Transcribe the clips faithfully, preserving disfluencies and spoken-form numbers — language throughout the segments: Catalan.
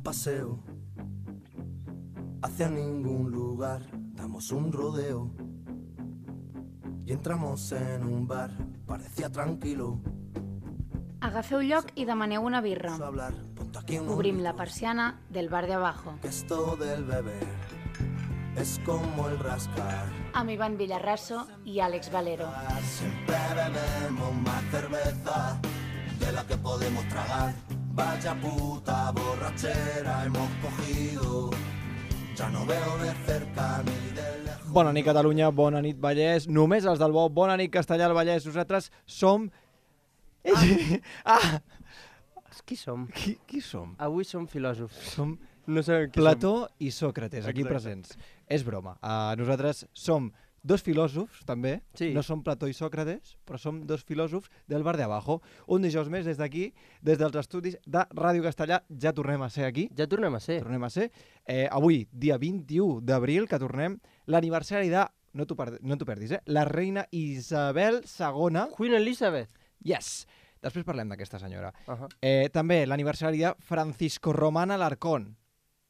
paseo hacia ningún lugar, damos un rodeo y entramos en un bar, parecía tranquilo. Agafeu lloc i demaneu una birra. Obrim la persiana del bar de abajo. Esto del beber es como el rascar. Amb Ivan Villarraso i Àlex Valero. Siempre bebemos más cerveza de la que podemos tragar. Vaya puta borrachera hemos cogido. Ja no veo de cerca ni de lejos. Bona nit, Catalunya, bona nit, Vallès. Només els del Bo, bona nit, Castellà, el Vallès. Nosaltres som... Ah! ah. Qui som? Qui, qui som? Avui som filòsofs. Som no sabem qui Plató som. i Sòcrates, aquí Exacte. presents. És broma. Uh, nosaltres som dos filòsofs, també. Sí. No som Plató i Sòcrates, però som dos filòsofs del bar de abajo. Un dijous més des d'aquí, des dels estudis de Ràdio Castellà, ja tornem a ser aquí. Ja tornem a ser. Tornem a ser. Eh, avui, dia vint-i-u d'abril, que tornem, l'aniversari de... No t'ho per... no t'ho perdis, eh? La reina Isabel segona. Queen Elizabeth. Yes. Després parlem d'aquesta senyora. Uh -huh. eh, també l'aniversari de Francisco Román Alarcón.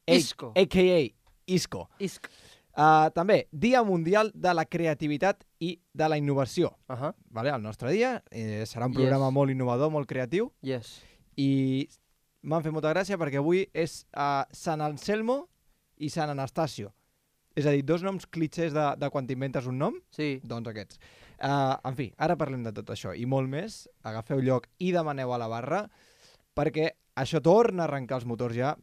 Isco. A K A Isco. Isco. Uh, també, Dia Mundial de la Creativitat i de la Innovació. Uh -huh. Vale? El nostre dia eh, serà un programa yes. molt innovador, molt creatiu. Yes. I m'han fet molta gràcia perquè avui és uh, Sant Anselmo i Sant Anastasio. És a dir, dos noms clitxers de, de quan t'inventes un nom, sí. Doncs aquests. Uh, en fi, ara parlem de tot això i molt més. Agafeu lloc i demaneu a la barra perquè això torna a arrencar els motors ja.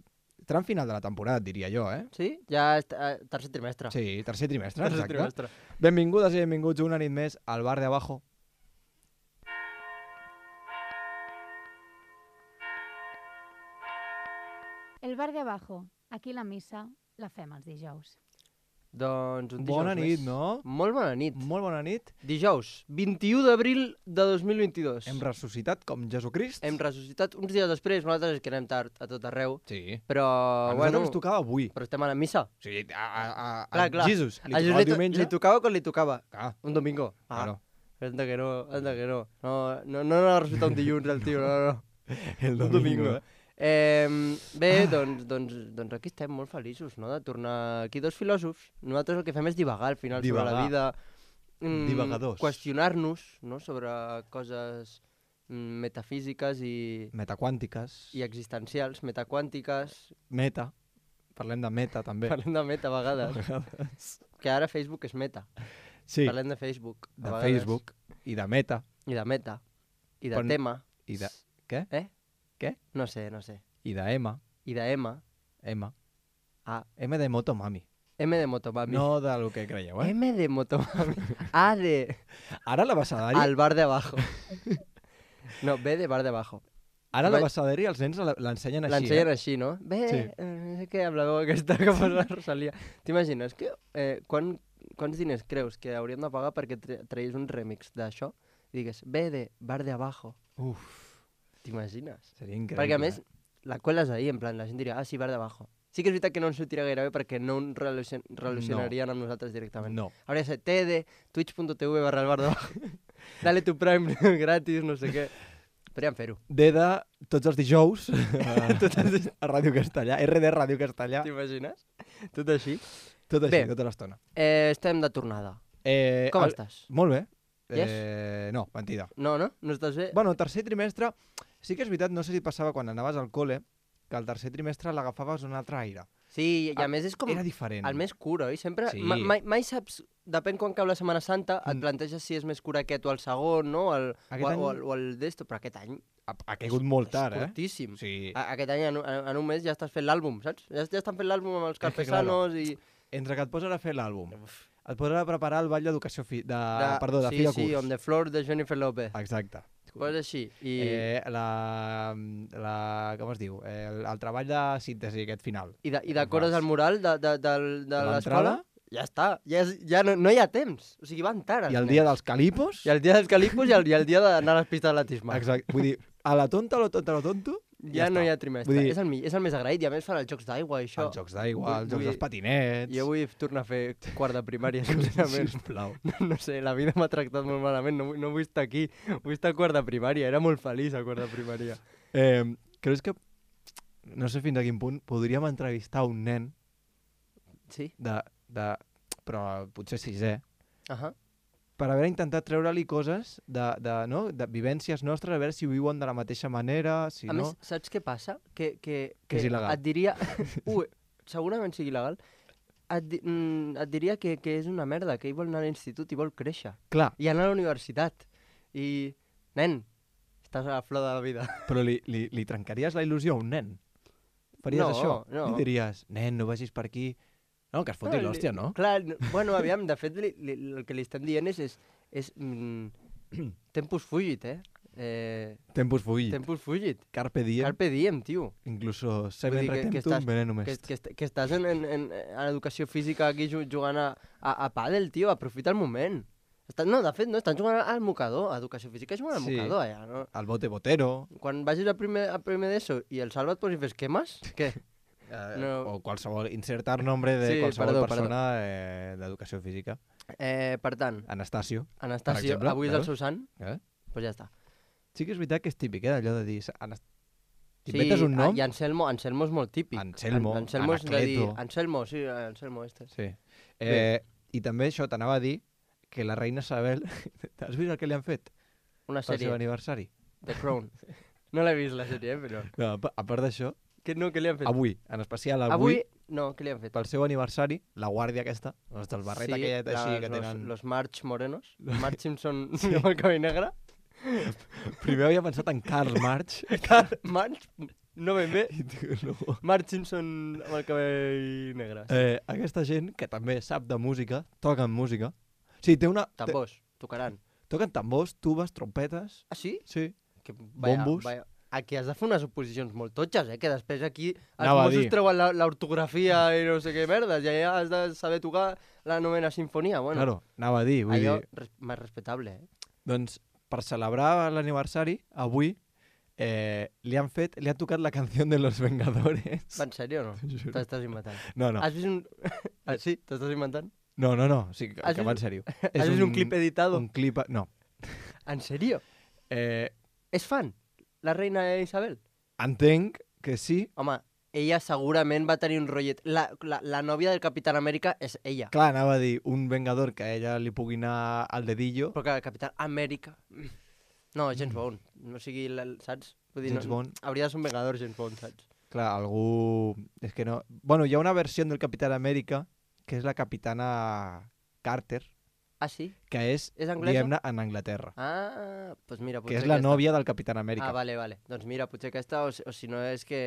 Tram final de la temporada, diria jo, eh? Sí? Ja és uh, tercer trimestre. Sí, tercer trimestre, tercer exacte. Trimestre. Benvingudes i benvinguts una nit més al bar de abajo. El bar de abajo. Aquí la missa la fem els dijous. Doncs un dijous Bona nit, més. no? Molt bona nit. Molt bona nit. Dijous, vint-i-u d'abril de dos mil vint-i-dos. Hem ressuscitat com Jesucrist. Hem ressuscitat uns dies després, nosaltres és que anem tard a tot arreu. Sí. Però, a bueno... ens tocava avui. Però estem a la missa. Sí, a, a, a, clar, a clar. Jesus. Li a tocava el diumenge. Li tocava quan li tocava. Clar. Un domingo. Ah, claro. Anda que no, anda que no. No, no, no ha ressuscitat un dilluns el tio, no, no. El domingo, un domingo. eh? Eh, bé, doncs, doncs, doncs aquí estem molt feliços, no?, de tornar aquí dos filòsofs. Nosaltres el que fem és divagar al final divagar. sobre la vida. Mm, Divagadors. Qüestionar-nos, no?, sobre coses mm, metafísiques i... Metaquàntiques. I existencials, metaquàntiques. Meta. Parlem de meta, també. Parlem de meta a vegades. A vegades. Que ara Facebook és meta. Sí. Parlem de Facebook. De Facebook. I de meta. I de meta. I de Quan... tema. I de... Què? Eh? Què? No sé, no sé. I de M. I de M. M. A. M de Motomami. M de Motomami. No de lo que creieu, eh? M de Motomami. A de... Ara la Basadari... Al bar de abajo. No, B de bar de abajo. Ara la Basadari els nens l'ensenyen així, L'ensenyen eh? així, no? Bé, Sí. eh, no sé què, amb la veu aquesta que posa la Rosalia. T'imagines que... Eh, quan, quants diners creus que hauríem de pagar perquè tra tragués un remix d'això? I digues, B de bar de abajo. Uf. T'imagines? Seria increïble. Perquè a més, la cueles ahí, en plan, la gent diria, ah, sí, bar de abajo. Sí que és veritat que no ens sortirà gaire bé perquè no ens relacion relacionarien no. amb nosaltres directament. No. Hauria de ser T D, twitch.tv barra el bar de abajo. Dale tu prime gratis, no sé què. Podríem fer-ho. D de tots els dijous a, a Ràdio Castellà. R de Ràdio Castellà. T'imagines? Tot així. Tot així, bé, tota l'estona. Eh, estem de tornada. Eh, Com el... estàs? Molt bé. Yes? Eh, no, mentida. No, no? No estàs bé? Bueno, tercer trimestre, sí que és veritat, no sé si passava quan anaves al col·le, que el tercer trimestre l'agafaves un altre aire. Sí, i a més és com... Era diferent. El més cura, oi? Sempre... Sí. Ma mai, mai saps... Depèn quan cau la Setmana Santa, et Mm. planteges si és més cura aquest o el segon, no? El, o, Aquest any- o, el, o el d'esto, però aquest any... Ha, ha caigut molt tard, és eh? curtíssim. Sí. A, aquest any, en, un- en un mes, ja estàs fent l'àlbum, saps? Ja, ja estan fent l'àlbum amb els que, Carpesanos i... Entre que et poses a fer l'àlbum, et poses a preparar el ball d'educació fi... de... De- Perdó, de sí, fi de sí, curs. on the floor de Jennifer Lopez. Exacte. Coses així. I... Eh, la, la... Com es diu? Eh, el, el treball de síntesi aquest final. I, de, i decores el mural de, de, de, de l'escola? L'entrada? Ja està, ja, és, ja no, no hi ha temps. O sigui, van tard. I el dia dels calipos? I el dia dels calipos i el, i el dia d'anar a les pistes d'atletisme. Exacte. Vull dir, a la tonta, a la tonta, a la tonto, Ja, ja no està. hi ha trimestre. Vull dir, És, el, mi- és el més agraït i a més fan els jocs d'aigua i això. els jocs d'aigua, els Vull- jocs dels patinets... Jo vull tornar a fer quart de primària, sincerament. Sisplau. No, no sé, la vida m'ha tractat molt malament, no, vull- no vull estar aquí, vull estar a quart de primària, era molt feliç a quart de primària. Eh, creus que no sé fins a quin punt, podríem entrevistar un nen Sí? de, de però potser sisè, Ahà. per haver intentat treure-li coses de, de, no? de vivències nostres, a veure si ho viuen de la mateixa manera, si A no... més, saps què passa? Que, que, Que és il·legal. Et diria... Ui, segurament sigui il·legal. Et, di... mm, et diria que, que és una merda, que ell vol anar a l'institut i vol créixer. Clar, I anar a la universitat. I... Nen, estàs a la flor de la vida. però li, li, li trencaries la il·lusió a un nen? Faries No, això? no. Li diries, nen, no vagis per aquí... No, que es foti li- l'hòstia, no? Clar, no, bueno, aviam, de fet, li, li, el que li estem dient és... és, és mm, tempus fugit, eh? eh Tempus fugit. tempus fugit. Carpe diem. Carpe diem, tio. Incluso Vull semen dir que- que retentum estàs- venenum Que, est. que, est- que estàs en, en, en, en educació física aquí ju- jugant a, a, a pàdel, tio, aprofita el moment. Estàs, no, de fet, no, estan jugant al mocador, a educació física jugant al Sí. mocador, allà, no? El bote botero, Quan vagis a primer, a primer d'ESO i el Salva et posi fer esquemes, què? eh, No. o qualsevol, insertar nombre de Sí, qualsevol perdó, persona eh, d'educació física. Eh, per tant, Anastasio. Anastasio, exemple, avui és el veus? seu sant, Eh? doncs pues ja està. Sí que és veritat que és típic, eh, allò de dir... Anas... Sí, T'inventes un nom? I Anselmo, Anselmo és molt típic. Anselmo, An Anselmo és de dir... Anacleto. Anselmo, sí, Anselmo este. Sí. Eh, I també això, t'anava a dir que la reina Isabel... Has vist el que li han fet Una pel seu sèrie, aniversari? The Crown. No l'he vist, la sèrie, eh, però... No, a pa- a part d'això, Que no, què li han fet? avui, en especial avui, Avui, no, què li han fet? pel seu aniversari, la guàrdia aquesta, els del barret Sí, aquellet així las- que los, tenen... Los March morenos. March Simpson amb el cabell negre. Primer havia pensat en Karl Marx. Carl March, no ben bé. I diu, no. March Simpson amb el cabell negre. Eh, aquesta gent que també sap de música, toquen música. Sí, té una... Té, Tambors, tocaran. toquen tambors, tubes, trompetes... Ah, sí? Sí. Que, vaya, Bombos. Vaya. Aquí has de fer unes oposicions molt totxes, eh? Que després aquí els Anava a Mossos dir. treuen la- l'ortografia i no sé què merdes, i allà has de saber tocar la novena sinfonia. Bueno, Claro, anava a dir, vull allò dir... res més respectable, eh? Doncs per celebrar l'aniversari, avui, eh, li han fet, li han tocat la canció de Los Vengadores. Va, en sèrio o no? T'ho juro. T'estàs inventant. No, no, Has vist un... ah, sí? T'estàs inventant? no, no, no, sí, que, Has que va en vist- sèrio. Has vist un clip editado? Un clip, no. En sèrio? Eh, És fan? La reina Isabel? entenc que sí. Home, ella segurament va tenir un rotllet. La, la, la nòvia del Capitán Amèrica és ella. Clar, anava a dir, un vengador que a ella li pugui anar al dedillo. Però que el Capitán Amèrica... No, James Bond. No sigui, la, saps? Vull dir, James no, Bond. Hauria de ser un vengador, James Bond, saps? Clar, algú... És que no... Bueno, hi ha una versió del Capitán Amèrica que és la Capitana Carter, Ah, sí? que és, És anglesa? diguem-ne, en Anglaterra. Ah, doncs pues mira, Que potser és la aquesta. nòvia del Capitán Amèrica. Ah, vale, vale. Doncs mira, potser aquesta, o, si- o si no és que...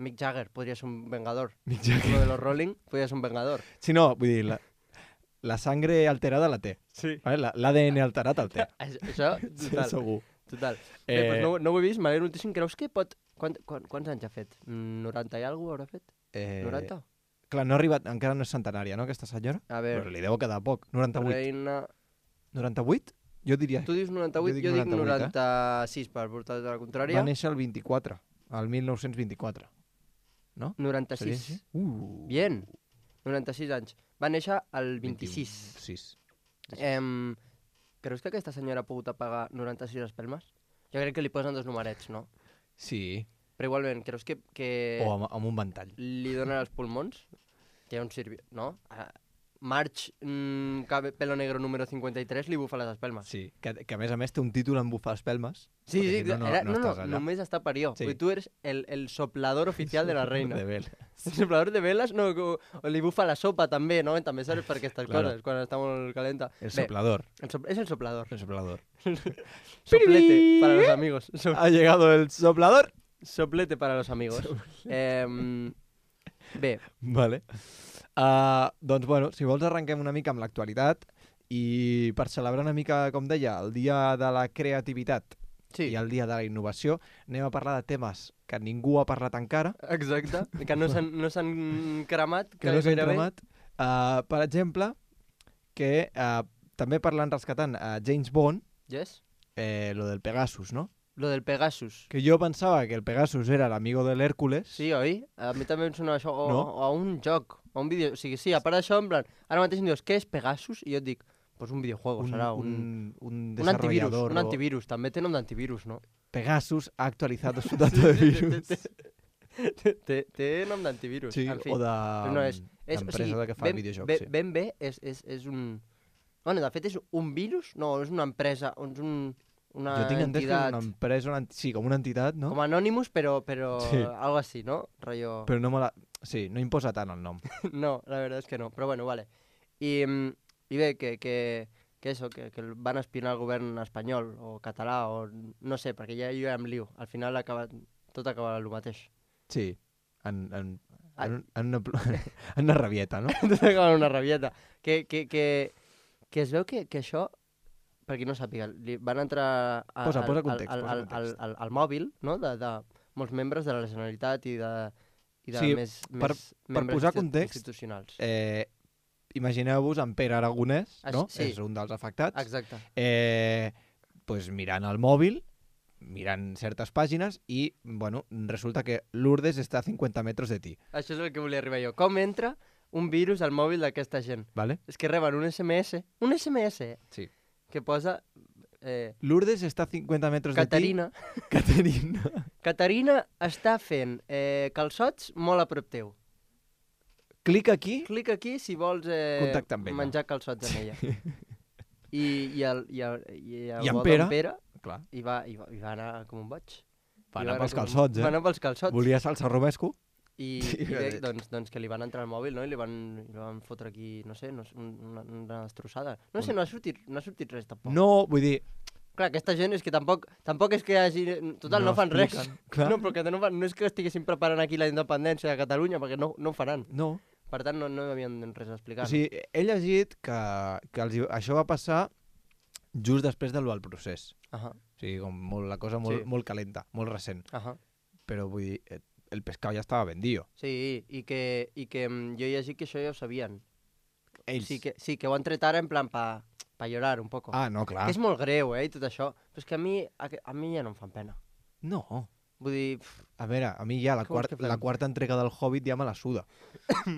Mick Jagger podria ser un vengador. Mick Jagger. Uno de los Rolling podria ser un vengador. Sí, no, vull dir, la, la sangre alterada la té. Sí. Vale? La- L'A D N alterat el té. Això, Sí, total. segur. Total. Eh, Bé, doncs no, no ho he vist, m'alegro moltíssim. Creus que pot... Quant, quant, quants anys ha fet? Mm, noranta i alguna haurà fet? Eh, noranta? Clar, no ha arribat, encara no és centenària, no, aquesta senyora? A Però veure, li deu quedar poc. noranta-vuit. reina... noranta-vuit? Jo diria... Tu dius noranta-vuit, Jo jo dic dic, noranta-vuit, eh? noranta-sis, per portar-te la contrària. Va néixer el vint-i-quatre, el mil nou-cents vint-i-quatre. No? Seria noranta-sis. així? Uh, Bien. noranta-sis anys. Va néixer el vint-i-sis. vint-i-sis. Em, creus que aquesta senyora ha pogut apagar noranta-sis espelmes? Jo crec que li posen dos numerets, no? Sí, Però igualment, creus que, que o amb, amb un ventall. li donen els pulmons? Té un sirvi... No? A March, mm, cabe- pelo negro número cinquanta-tres, li bufa les espelmes. Sí, que, que a més a més té un títol en bufar espelmes. Sí, perquè sí, si no, no, era, no, no, no, estàs allà. només està per jo. Sí. Sí. Tu eres el, el soplador oficial de la reina. De vel. El soplador de veles, no, o, o li bufa la sopa també, no? També serveix per aquestes Claro. coses, quan està molt calenta. El Bé, soplador. el sop- és el soplador. El soplador. Soplete para los amigos. So- Ha llegado el soplador. soplete para los amigos. Eh, bé, Vale. Uh, doncs, bueno, si vols arrenquem una mica amb l'actualitat i per celebrar una mica, com deia, el dia de la creativitat sí, i el dia de la innovació, anem a parlar de temes que ningú ha parlat encara, exacte. Que no s'han no s'han cremat. que no s'han gairebé. cremat. Uh, per exemple, que uh, també parlant, rescatant uh, James Bond, Yes? eh, lo del Pegasus, no? Lo del Pegasus. Que jo pensava que el Pegasus era l'amigo de l'Hèrcules. Sí, oi? A mi també em sona això. O, No? o a un joc, o a un vídeo. O sigui, sí, a part d'això, en plan, ara mateix em dius, què és Pegasus? I jo et dic, pues un videojuego, un, serà un... un, un Un antivirus, desarrollador. un o- antivirus. També té nom d'antivirus, no? Pegasus ha actualizado su dato de virus. té, té nom d'antivirus. Sí, en fi. o de... No, és, és, d'empresa o sigui, de que fa ben, videojocs, ben, sí. ben bé és, és, és un... Bueno, de fet és un virus? No, és una empresa, és un, una Jo tinc entès que és entitat... una empresa, una... ent- sí, com una entitat, no? Com Anonymous, però, però Sí. algo así, ¿no? Rollo... Però no me la... Sí, no imposa tant el nom. No, la verdad es que no, però bueno, vale. I, mm, i bé, que, que, que eso, que, que el van espionar el govern espanyol o català o no sé, perquè ja jo ja em lio. Al final acaba, tot acaba el mateix. Sí, en, en, Ah. en, en, una, pl- en una rabieta, no? Tot acaba en una rabieta. Que, que, que, que es veu que, que això, per qui no sàpiga, li van entrar a, Posa- al, posa al, context, al, posa al, al, context. al, al mòbil, no?, de, de molts membres de la Generalitat i de, i de Sí, més, per- més per membres posar insti- context, institucionals. Eh, Imagineu-vos en Pere Aragonès, Així- no? sí. És un dels afectats. Exacte. Eh, pues mirant el mòbil, mirant certes pàgines i, bueno, resulta que Lourdes està a cinquanta metres de ti, Això és el que volia arribar jo. Com entra un virus al mòbil d'aquesta gent? ¿vale? És que reben un S M S, un S M S, eh, Sí. que posa eh, Lourdes està a cinquanta metres Caterina. de ti. Caterina. Caterina està fent eh, calçots molt a prop teu. Clic aquí. Clica aquí si vols eh, Contacta amb ella. menjar calçots amb ella. I, i, el, i, el, i, el I en bo Pere? d'en Pere Clar, i va, i, va, i va anar com un boig. va I anar pels com- calçots, eh? Va anar pels calçots. Volia salsa romesco. I, Sí, i bé, de- doncs, doncs que li van entrar al mòbil, no? I li van, i li van fotre aquí, no sé, no, sé, un- una, una destrossada. No sé, no ha sortit, no ha sortit res tampoc. No, vull dir... Clar, aquesta gent és que tampoc, tampoc és que hagi... Total, no, No fan res. expliquen, clar. No, però que no, fan, no és que estiguessin preparant aquí la independència de Catalunya, perquè no, no ho faran. No. Per tant, no, no havien res a explicar. O sigui, he llegit que, que els, hi- això va passar just després del, del procés. No? Ahà, O sigui, com molt, la cosa molt, Sí. molt calenta, molt recent. ahà. Però vull dir, eh, el pescado ja estava vendido. Sí, i que, i que mm, jo he llegit que això ja ho sabien. Ells. Sí que, sí, que ho han tret ara en plan pa, pa llorar un poco. Ah, no, clar. Que és molt greu, eh, i tot això. Però és que a mi, a, a mi ja no em fan pena. No. Vull dir, pff, A veure, a mi ja la, Què vols quart, que fem? la quarta entrega del Hobbit ja me la suda.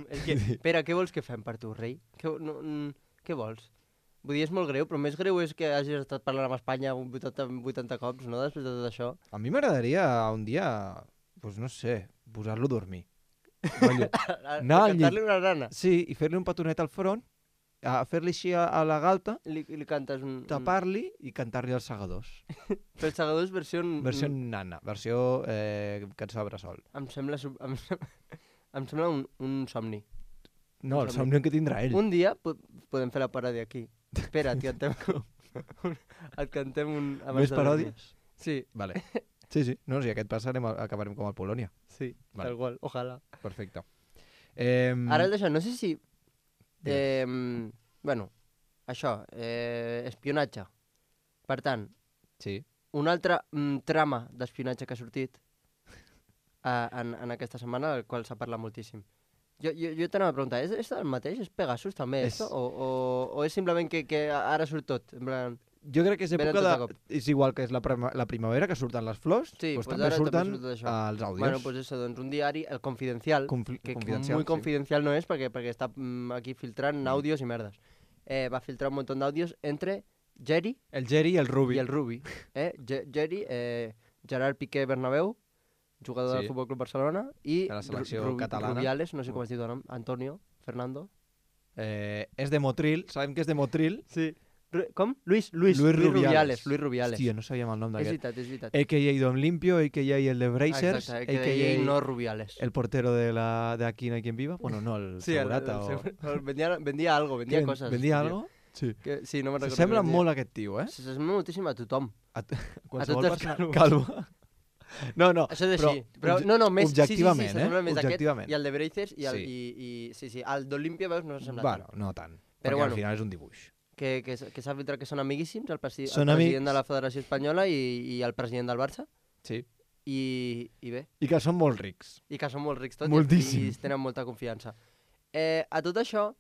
és que, Pere, què vols que fem per tu, rei? Què, no, mm, què vols? Vull dir, és molt greu, però més greu és que hagis estat parlant amb Espanya vuitanta, vuitanta cops, no?, després de tot això. A mi m'agradaria un dia, pues no sé, posar-lo a dormir. Rotllo. No, al llit. Cantar-li una nana. Sí, i fer-li un petonet al front, a fer-li així a, a la galta, I li, i li cantes un... un... tapar-li i cantar-li els segadors. Però els segadors versió... Versió nana, versió eh, cançó de bressol. Em sembla, sub- em, sem- em sembla un, un somni. No, el Som- somni que tindrà ell. Un dia po podem fer la paròdia aquí. Espera, et cantem, un, et cantem un... abans Més de dormir. paròdies? Sí, Vale. Sí, sí. No, si aquest passa anem a, acabarem com el Polònia. sí, Vale. tal qual, ojalà. Perfecte. Eh, Ara el d'això, no sé si... Digues. Eh, bueno, això, eh, espionatge. Per tant, Sí. una altra mm, trama d'espionatge que ha sortit eh, en, en aquesta setmana, del qual s'ha parlat moltíssim. Jo, jo, jo t'anava a preguntar, és, és el mateix? És Pegasus també, És- esto? O, o, o és simplement que, que ara surt tot? En plan... Jo crec que és Venen època tots de... de cop. És igual que és la, prima, la primavera, que surten les flors, Sí, doncs pues també ara també surten surt això. eh, els àudios. Bueno, pues eso, doncs un diari, el Confidencial, Confli que confidencial, muy sí. confidencial no és perquè, perquè està mm, aquí filtrant àudios i merdes. Eh, va filtrar un munt d'àudios entre Jerry El Jerry i el Rubi. i el Rubi. Eh? Ge- Jerry, eh, Gerard Piqué Bernabéu, jugador Sí. del Futbol Club Barcelona, i De la selecció Ru- Ru- catalana. Rubiales, no sé com es diu de nom, Antonio, Fernando. Eh, és de Motril, sabem que és de Motril. Sí. Ru com? Luis, Luis, Luis Luis Rubiales. Rubiales. Luis Rubiales. Hòstia, no sabíem el nom és d'aquest. veritat, és veritat. A K A Don Limpio, A K A el de Brazers, Exacte, A que K deia A no Rubiales. el portero de, la, de Aquí no hay quien viva. Bueno, no, el Sí, el- segurata. el o... segur- el- vendía, vendía algo, vendía Què ven- coses. ¿Vendia tio. algo? Sí. Que, sí, no me'n recordo. S'assembla què vendia. molt a aquest tio, eh? S'assembla moltíssim a tothom. A, t- A qualsevol tots els persona calvos. calva. No, no, Això és però, així. Però, obje- no, no, més, objectivament, sí, sí, sí, s'assembla eh? més a aquest Objectivament. i el de Brazers i, el, Sí. i, i sí, sí, el d'Olimpia, veus, no s'assembla Bueno, tant. no tant. Però perquè bueno. al final és un dibuix. Que, que, s- que s'ha filtrat que són amiguíssims, el, presi Són el president amics. de la Federació Espanyola i, i el president del Barça. Sí. I, i bé, I que són molt rics. i que són molt rics tots Moltíssim. i, i tenen molta confiança. Eh, a tot això,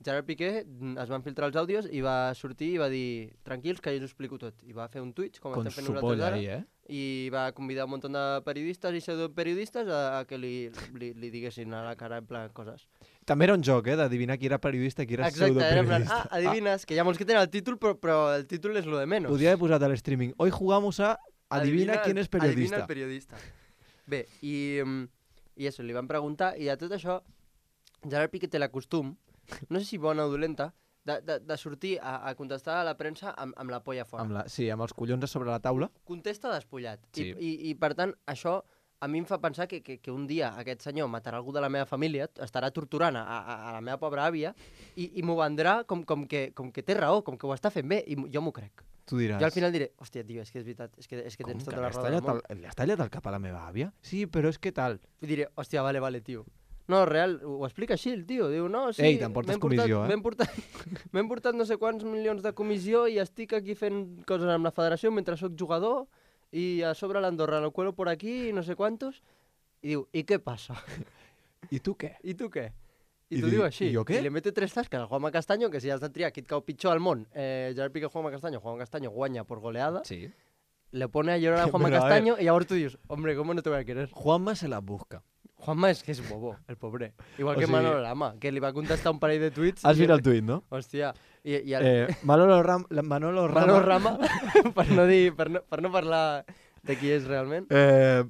Gerard Piqué mm, es van filtrar els àudios i va sortir i va dir tranquils que jo us ho explico tot. I va fer un Twitch, com Con estem fent su nosaltres polla ara, ahí, eh? i va convidar un munt de periodistes i pseudoperiodistes a, a que li, li, li diguessin a la cara en plan coses. També era un joc, eh? D'adivinar qui era periodista i qui era Exacte, era en plan, pseudoperiodista. ah, adivines, que hi ha molts que tenen el títol, però, però el títol és lo de menos. Podria haver posat al streaming. Hoy jugamos a Adivina, quién el- es periodista. Adivina el periodista. Bé, i, mm, I això, li van preguntar, i de tot això, Gerard Piqué té la costum, no sé si bona o dolenta, de, de, de sortir a, a contestar a la premsa amb, amb la polla fora. Amb la, sí, amb els collons a sobre la taula. Contesta despullat. Sí. I, i, I, per tant, això a mi em fa pensar que, que, que un dia aquest senyor matarà algú de la meva família, estarà torturant a, a, a la meva pobra àvia, i, i m'ho vendrà com, com, que, com que té raó, com que ho està fent bé, i jo m'ho crec. Tu diràs... Jo al final diré, hòstia, tio, és que és veritat, és que, és que tens com tota que la raó del món. li has tallat el cap a la meva àvia? Sí, però és que tal... I diré, hòstia, vale, vale, tio. No, real, ho explica així el tio, diu, no, sí... Ei, t'emportes comissió, eh? M'hem portat, m'hem portat no sé quants milions de comissió i estic aquí fent coses amb la federació mentre sóc jugador i a sobre l'Andorra lo cuelo por aquí i no sé quantos. I diu, i què passa? I tu què? I tu què? I, I t'ho di- diu així. i jo què? I li mete tres tasques al Juanma Castaño, que si has de triar qui et cau pitjor al món, eh, Gerard Piqué, Juanma Castaño, Juanma Castaño guanya por goleada, Sí. le pone a llorar a Juanma Pero a Castaño y ahora tú dices, hombre, ¿cómo no te voy a querer? Juanma se la busca. Juanma és que és bobo, el pobre. Igual O que sigui- Manolo Lama, que li va contestar un parell de tuits. Has i- vist el tuit, no? Hòstia, i, i el... Eh, Manolo, Ram, la- Manolo Rama... Manolo Rama, per no, dir, per, no, per no parlar de qui és realment. Eh,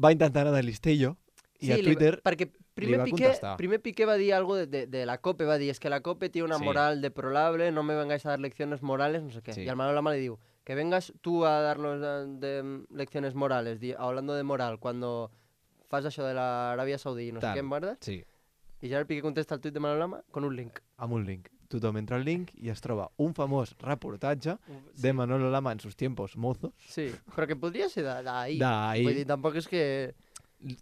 va intentar anar de listillo i a li- Twitter... perquè primer va Piqué, contestar. primer Piqué va dir algo de, de, de la COPE, va dir, es que la COPE tiene una Sí. moral deplorable, no me vengáis a dar lecciones morales, no sé qué. Sí. Y al Manolo Lama le digo, que vengas tú a darnos de, de lecciones morales, di, hablando de moral, cuando fas això de l'Aràbia Saudí, no Tant. sé què, merdes, Sí, i Gerard Piqué contesta el tuit de Manolo Lama con un link. amb un link. Tothom entra al link i es troba un famós reportatge de Manolo Lama en sus tiempos mozos. Sí, però que podria ser de- d'ahir. D'ahir. Vull dir, tampoc és que...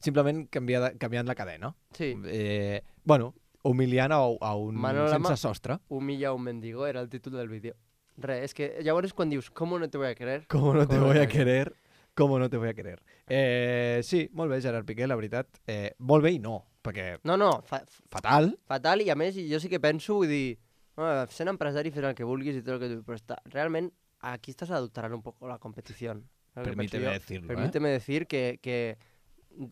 Simplement canviada, canviant la cadena. Sí, Eh, bueno, humiliant a, a un Manolo Lama- sense sostre. humilla a un mendigo, era el títol del vídeo. Res, és que llavors quan dius, com no te voy a querer? ¿Cómo no te Com voy a no- querer? ¿Cómo no te voy a querer? Eh, sí, molt bé, Gerard Piqué, la veritat. Eh, molt bé i no, perquè No, no, fa, fatal. fatal, i a més jo sí que penso, vull dir, no, sent empresari fes el que vulguis i tot el que tu... Però està, realment aquí estàs adulterant un poco la competició. Permíteme decirlo, Permíteme decir que, que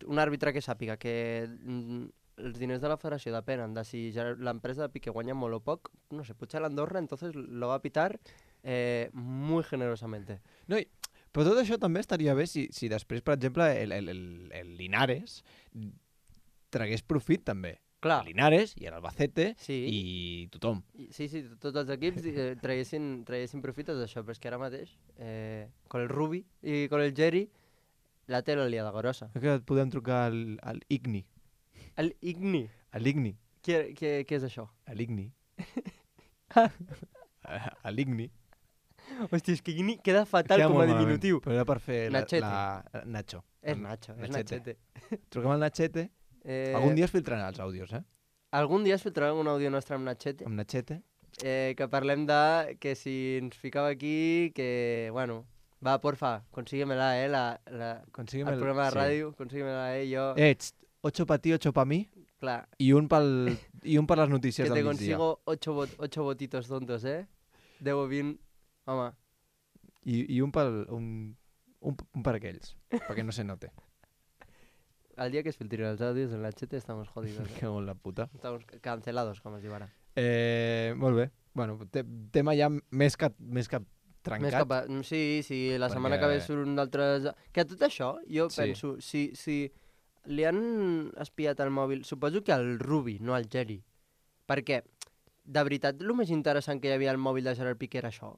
un àrbitre que sàpiga que mm, els diners de la federació depenen de si ja l'empresa de Piqué guanya molt o poc, no sé, potser l'Andorra entonces lo va a pitar eh, muy generosamente. No, i, però tot això també estaria bé si, si després, per exemple, el, el, el, el Linares tragués profit també. Clar, El Linares i l'Albacete sí. i tothom. I- Sí, sí, tots els equips eh, traguessin, traguessin profites d'això, però és que ara mateix, eh, con el Rubi i con el Jerry, la té la liada grossa. Crec que et podem trucar al, al Igni. El Igni, A l'Igni. què, què, què és això? A l'Igni. A l'Igni. Hòstia, és que Igni queda fatal Queda com a molt malament, diminutiu. Però era per fer la, Nachete. la... Nacho. És Nacho, és Nachete. Nachete. Truquem al Nachete. Eh, Algun dia es filtraran els àudios, eh? algun dia es filtrarà un àudio nostre amb Nachete, Amb Nachete. eh, que parlem de que si ens ficava aquí, que, bueno, va, porfa, consíguemela, eh, la, la, Consígueme el programa de ràdio, consíguemela, eh, jo, Eh, txt, ocho pa ti, ocho pa mi clar, i un, pel, i un per les notícies que del te migdia. consigo ocho, vot ocho votitos tontos, eh? deu o vint, home, I, i un, pel, un, un, un per aquells, perquè no se note. al dia que es filtrin els àudios en la Nachete estamos jodidos, eh? Que molt la puta. Estamos cancelados, com es diu ara. Eh, molt bé. Bueno, te, tema ja més que, més que trencat. Més cap a... mm, Sí, sí, la Perquè- setmana que ve surt un d'altres... Que tot això, jo Sí. penso, si, si li han espiat el mòbil, suposo que al Rubi, no al Jerry. Perquè, de veritat, el més interessant que hi havia al mòbil de Gerard Piqué era això.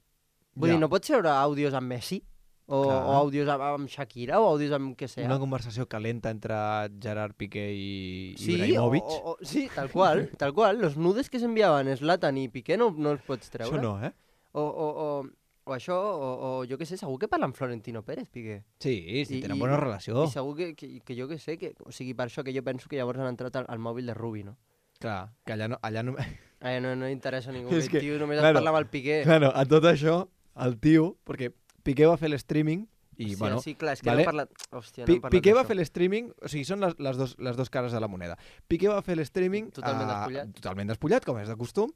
Vull Ja. dir, no pots veure àudios amb Messi? O, Clar. o àudios amb, amb Shakira? O àudios amb què sea? Una conversació calenta entre Gerard Piqué i Sí, Ibrahimovic. o, o, o- sí, tal qual, tal qual. Los nudes que s'enviaven Zlatan i Piqué no, no els pots treure. Això no, eh? O, o, o, o això, o, o jo què sé, segur que parla amb Florentino Pérez, Piqué. Sí, sí, I- tenen i- bona relació. I segur que, que, que jo què sé, que, o sigui, per això que jo penso que llavors han entrat al, al mòbil de Rubi, no? Clar, que allà no... Allà no... Eh, no, no interessa a ningú, És és que, que, tio només claro, es parla amb el Piqué. claro, a tot això, el tio... Perquè Piqué va fer l'streaming i, sí, bueno... sí, clar, és que vale. no parla... Hòstia, Pi no hem parlat Piqué va d'això. fer l'streaming, o sigui, són les, les, dos, les dos cares de la moneda. Piqué va fer l'streaming... Totalment eh, despullat. Totalment despullat, com és de costum,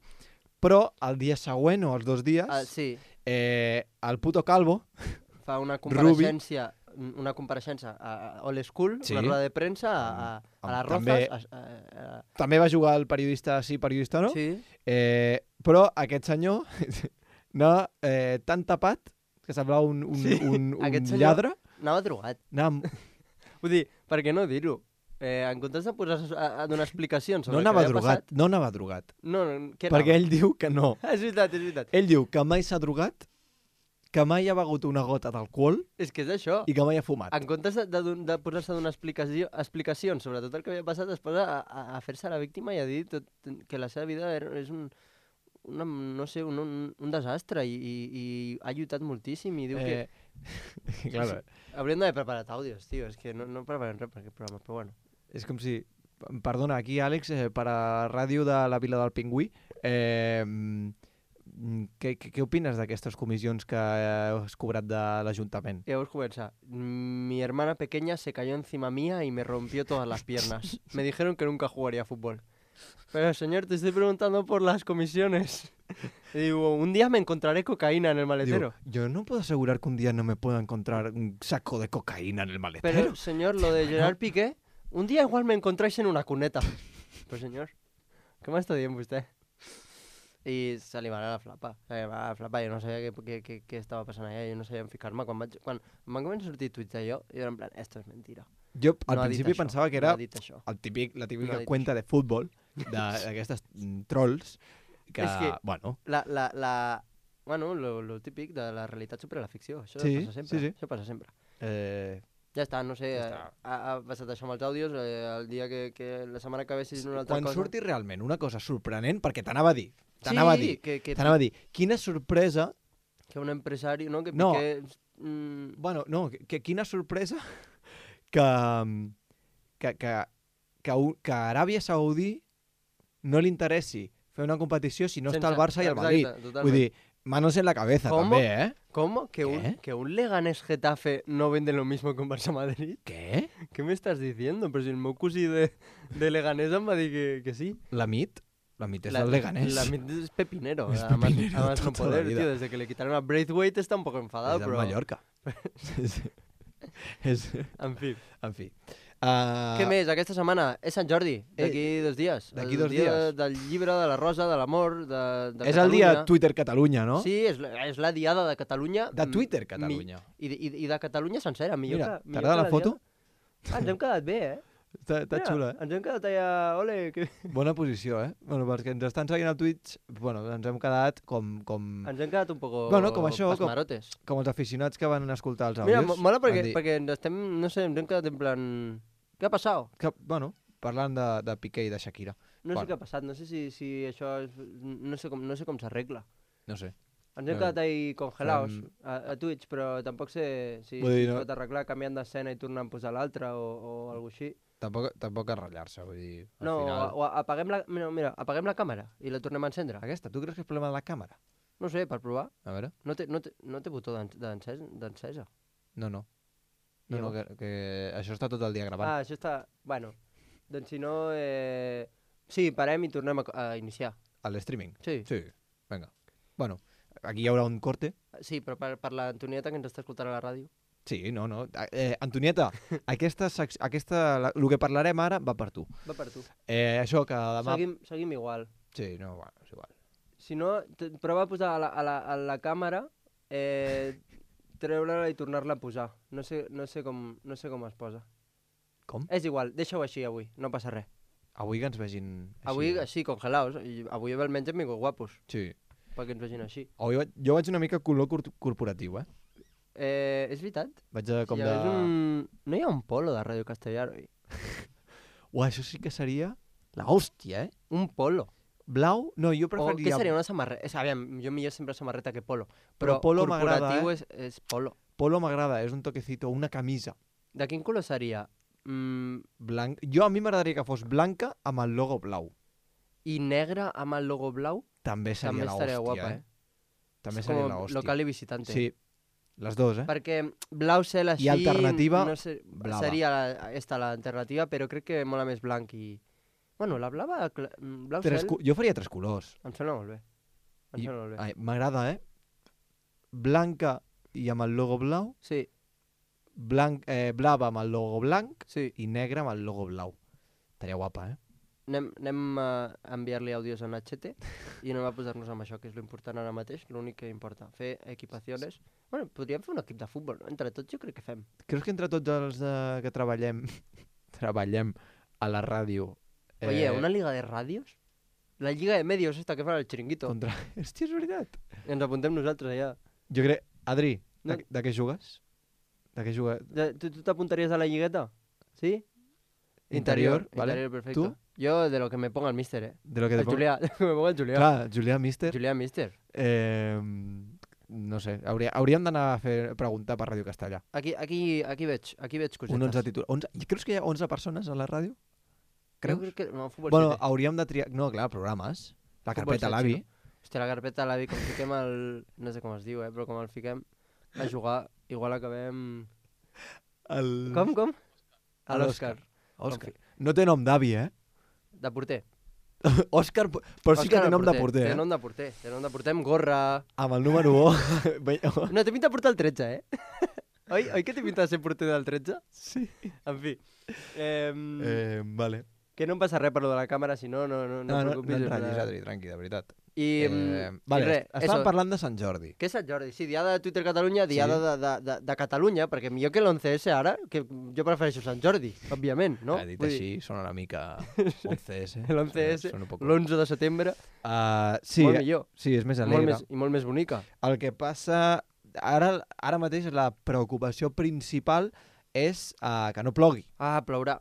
però el dia següent o els dos dies, Ah, sí, eh, el puto calvo, fa una Rubi. compareixença, una compareixença a, a Old School, Sí. una roda de premsa a, a, a Amb- les també- Rozas. A, a, a, també va jugar el periodista sí, periodista no, Sí, eh, però aquest senyor anava eh, tan tapat que semblava un, un, Sí. un, un Aquest senyor- lladre. anava drogat. Anava amb... Vull dir, per què no dir-ho? eh, en comptes de posar a, a donar explicacions sobre No el que anava havia drogat, passat... no anava drogat. No, no, què Perquè anava? ell diu que no. És veritat, és veritat. Ell diu que mai s'ha drogat, que mai ha begut una gota d'alcohol És que és això. i que mai ha fumat. En comptes de, de, don- de posar-se a donar explicació, explicacions sobre tot el que havia passat, es posa a, a, a fer-se la víctima i a dir tot, que la seva vida era, és un, una, no sé, un, un, un desastre i, i, i ha lluitat moltíssim i diu que... Eh, claro, Hauríem d'haver preparat àudios, tio, és que no, no preparem res per aquest programa, però bueno. és com si... Perdona, aquí Àlex, eh, per a ràdio de la Vila del Pingüí, eh, mm, què, què, què opines d'aquestes comissions que has cobrat de l'Ajuntament? Y vamos a comenzar. Mi hermana pequeña se cayó encima mía y me rompió todas las piernas. Me dijeron que nunca jugaría a fútbol. Pero señor, te estoy preguntando por las comisiones. Y digo, un día me encontraré cocaína en el maletero. Digo, yo no puedo asegurar que un día no me pueda encontrar un saco de cocaína en el maletero. Pero señor, lo de Gerard Piqué, un día igual me encontráis en una cuneta. Pues señor, ¿qué me está diciendo usted? I se li va anar la flapa. Se li va anar la flapa, jo no sabia què, què, què, què estava passant allà, jo no sabia on ficar-me. Quan, vaig, quan em van començar a sortir tuits d'allò, jo era en plan, esto es mentira. Jo al No ha dit principi això, pensava que no era ha dit això. el típic, la No típica ha dit cuenta de futbol d'aquestes mm, trolls que, És que- bueno, La, la, la... Bueno, lo, lo típic de la realitat supera la ficció. Això Sí, passa sempre. sí, sí. Això passa sempre. eh, Ja està, no sé, Ja ja està. ha, ha passat això amb els àudios, eh, el dia que, que la setmana que ve si una altra quan cosa... surti realment una cosa sorprenent, perquè t'anava a dir, t'anava sí, a dir, que, que, t'anava a dir, quina sorpresa, que un empresari, no? Que No. Piqué... Mm, bueno, no, que, que quina sorpresa que, mm, que, que, que, un- que a Aràbia Saudí no li interessi fer una competició si no està el Barça i el Madrid. Vull dir, manos en la cabeza Com? també, eh? ¿Cómo? ¿Que un, ¿Qué? ¿Que un Leganés Getafe no vende lo mismo que un Barça Madrid? Què? ¿Qué me estás diciendo? Pero si el meu cosí de, de Leganés em va dir que, que sí. La mit? La mit és el Leganés. La mit es pepinero. Es a más- pepinero a más no toda la poder, vida. tío. Desde que le quitaron a Braithwaite está un poco enfadado, és del pero... Mallorca. sí, sí. És, En fi. en fi. Uh, Què més? Aquesta setmana és Sant Jordi, d'aquí dos dies. d'aquí El dos dia dies. del llibre, de la rosa, de l'amor, de, de és el dia Catalunya. Twitter Catalunya, no? Sí, és la, és la diada de Catalunya. De mm, Twitter mi- Catalunya. I, de- i, I de Catalunya sencera, millor Mira, que... millor t'agrada que la foto? diada. Ah, ens hem quedat bé, eh? Està, està Mira, xula, eh? Ens hem quedat allà... Ole, que... Bona posició, eh? Bueno, perquè ens estan seguint al Twitch, bueno, ens hem quedat com, com, Ens hem quedat un poco Bueno, com això, com- pasmarotes. com els aficionats que van escoltar els Mira, àudios. mo- mola perquè, Van dir perquè ens estem, no sé, ens hem quedat en plan... Què ha passat? Que, bueno, parlant de, de Piqué i de Shakira. No Bueno. sé què ha passat, no sé si, si això és... No sé com, no sé com s'arregla. No sé. Ens hem Eh, quedat ahí congelados fem- a, a Twitch, però tampoc sé si, Vull si dir, es no- pot arreglar canviant d'escena i tornant a posar l'altra o, o alguna així. Tampoc, tampoc a ratllar-se, vull dir, al No, final... o, o apaguem la, mira, mira, apaguem la càmera i la tornem a encendre. Aquesta, tu creus que és problema de la càmera? No sé, per provar. A veure. No té, no té, no té botó d'en- d'encès- d'encesa. No, no. No, no, que, Llavors? que això està tot el dia gravant. Ah, això està... Bueno, doncs si no... Eh... Sí, parem i tornem a, co- a iniciar. A l'streaming. Sí. Sí, vinga. Bueno, aquí hi haurà un corte. Sí, però per, per l'Antonieta que ens està escoltant a la ràdio. Sí, no, no. Eh, Antonieta, aquesta, sec- aquesta, la, el que parlarem ara va per tu. Va per tu. Eh, això que demà... Seguim, seguim igual. Sí, no, bueno, és igual. Si no, t- prova a posar a la, a la, a la càmera, eh, treure-la i tornar-la a posar. No sé, no, sé com, no sé com es posa. Com? És igual, deixa-ho així avui, no passa res. Avui que ens vegin així. Avui així, congelaos, i avui almenys hem vingut guapos, Sí. perquè ens vegin així. Avui vaig, jo vaig una mica color cor corporatiu, eh? Eh, és veritat? Vaig de, com Hi de... ha un... No hi ha un polo de Ràdio Castellar, oi? Uah, això sí que seria la hòstia, eh? Un polo. Blau? No, jo O què preferiria... seria una samarreta? És, aviam, jo millor sempre samarreta que polo. Però Però, polo corporatiu m'agrada, és, és polo. Polo m'agrada, és un toquecito, una camisa De quin color seria? Mm, blanc. Jo a mi m'agradaria que fos blanca amb el logo blau. I negre amb el logo blau? També seria També la estaria hòstia, guapa, eh? eh? També És seria com la hòstia. local i visitante. Sí, les dos, eh? Perquè blau cel així... alternativa, no sé, blava. seria la, esta l'alternativa, però crec que mola més blanc i... Bueno, la blava... cla- mm, Blau Tres cel cu- Jo faria tres colors. em sembla molt bé. Em I- sembla molt bé. Ai, m'agrada, eh? Blanca i amb el logo blau, Sí, blanc, eh, blava amb el logo blanc sí. i negre amb el logo blau. Estaria guapa, eh? Anem, anem a enviar-li àudios a Nachete i anem a posar-nos amb això, que és l'important ara mateix, l'únic que importa. Fer equipacions. Bueno, podríem fer un equip de futbol, no? Entre tots jo crec que fem. Creus que entre tots els de... que treballem treballem a la ràdio... Eh... Oye, una liga de ràdios? La lliga de medios esta que fan el xiringuito. Contra... Hòstia, és veritat. Ens apuntem nosaltres allà. Jo crec... Adri, de, no. de què jugues? De què jugues? De, tu tu t'apuntaries a la lligueta? Sí? Interior, Interior, vale. Interior, perfecto. Tu? Jo de lo que me ponga el míster, eh. De lo que el te Julià, de lo que me ponga el Julià. Clar, Julià míster. Julià míster. Eh, no sé, hauria, hauríem d'anar a fer preguntar per Ràdio Castellà. Aquí, aquí, aquí veig, aquí veig cosetes. Un onze títol. onze... Creus que hi ha onze persones a la ràdio? Creus? Jo crec que... No, futbol bueno, siete. hauríem de triar... No, clar, programes. La carpeta a l'avi. Hòstia, la carpeta a l'avi, com fiquem el... No sé com es diu, eh, però com el fiquem a jugar, igual acabem... El... Com, com? A l'Òscar. Òscar. No té nom d'avi, eh? De porter. Òscar, però sí que té nom de porter, eh? Té nom de porter, té nom de porter amb gorra... Amb el número un. No, té pinta de portar el tretze, eh? Oi, oi que té pinta de ser porter del tretze? Sí. En fi. Eh, eh, vale. Que no em passa res per lo de la càmera, si no, no, no, no, no, no, preocupis. no et ratllis, Adri, tranqui, de veritat. I, eh, vale, i res, estàvem eso. parlant de Sant Jordi. Què és Sant Jordi? Sí, diada de Twitter Catalunya, diada sí. de, de, de, de Catalunya, perquè millor que l'once esse ara, que jo prefereixo Sant Jordi, òbviament, no? Ha dit Vull així, dir... sona una mica onze esse. L'once esse, l'onze de setembre, uh, sí, molt millor. Sí, és més alegre. Molt més, I molt més bonica. El que passa... Ara, ara mateix la preocupació principal és uh, que no plogui. Ah, plourà.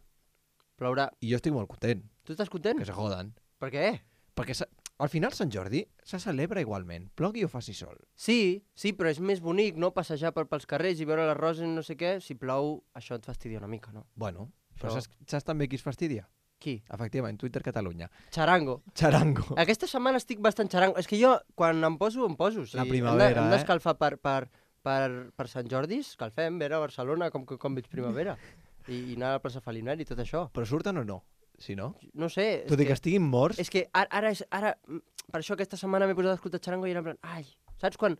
Plourà. I jo estic molt content. Tu estàs content? Que se joden. Per què? Perquè al final Sant Jordi se celebra igualment, plogui o faci sol. Sí, sí, però és més bonic, no?, passejar per, pels carrers i veure les roses i no sé què. Si plou, això et fastidia una mica, no? Bueno, però Però- saps, saps també qui es fastidia? Qui? Efectivament, Twitter Catalunya. Xarango. Xarango. Aquesta setmana estic bastant xarango. És que jo, quan em poso, em poso. O sigui, La primavera, hem de, hem eh? d'escalfar per, per, per, per Sant Jordi, escalfem, veure Barcelona com, com veig primavera. I, I anar a la plaça Falinari i tot això. Però surten o no? Si no? No sé. és Tot i que estiguin morts... És que ara, ara, és, ara, mm, per això aquesta setmana m'he posat a escoltar xarango i era en plan, ai, saps quan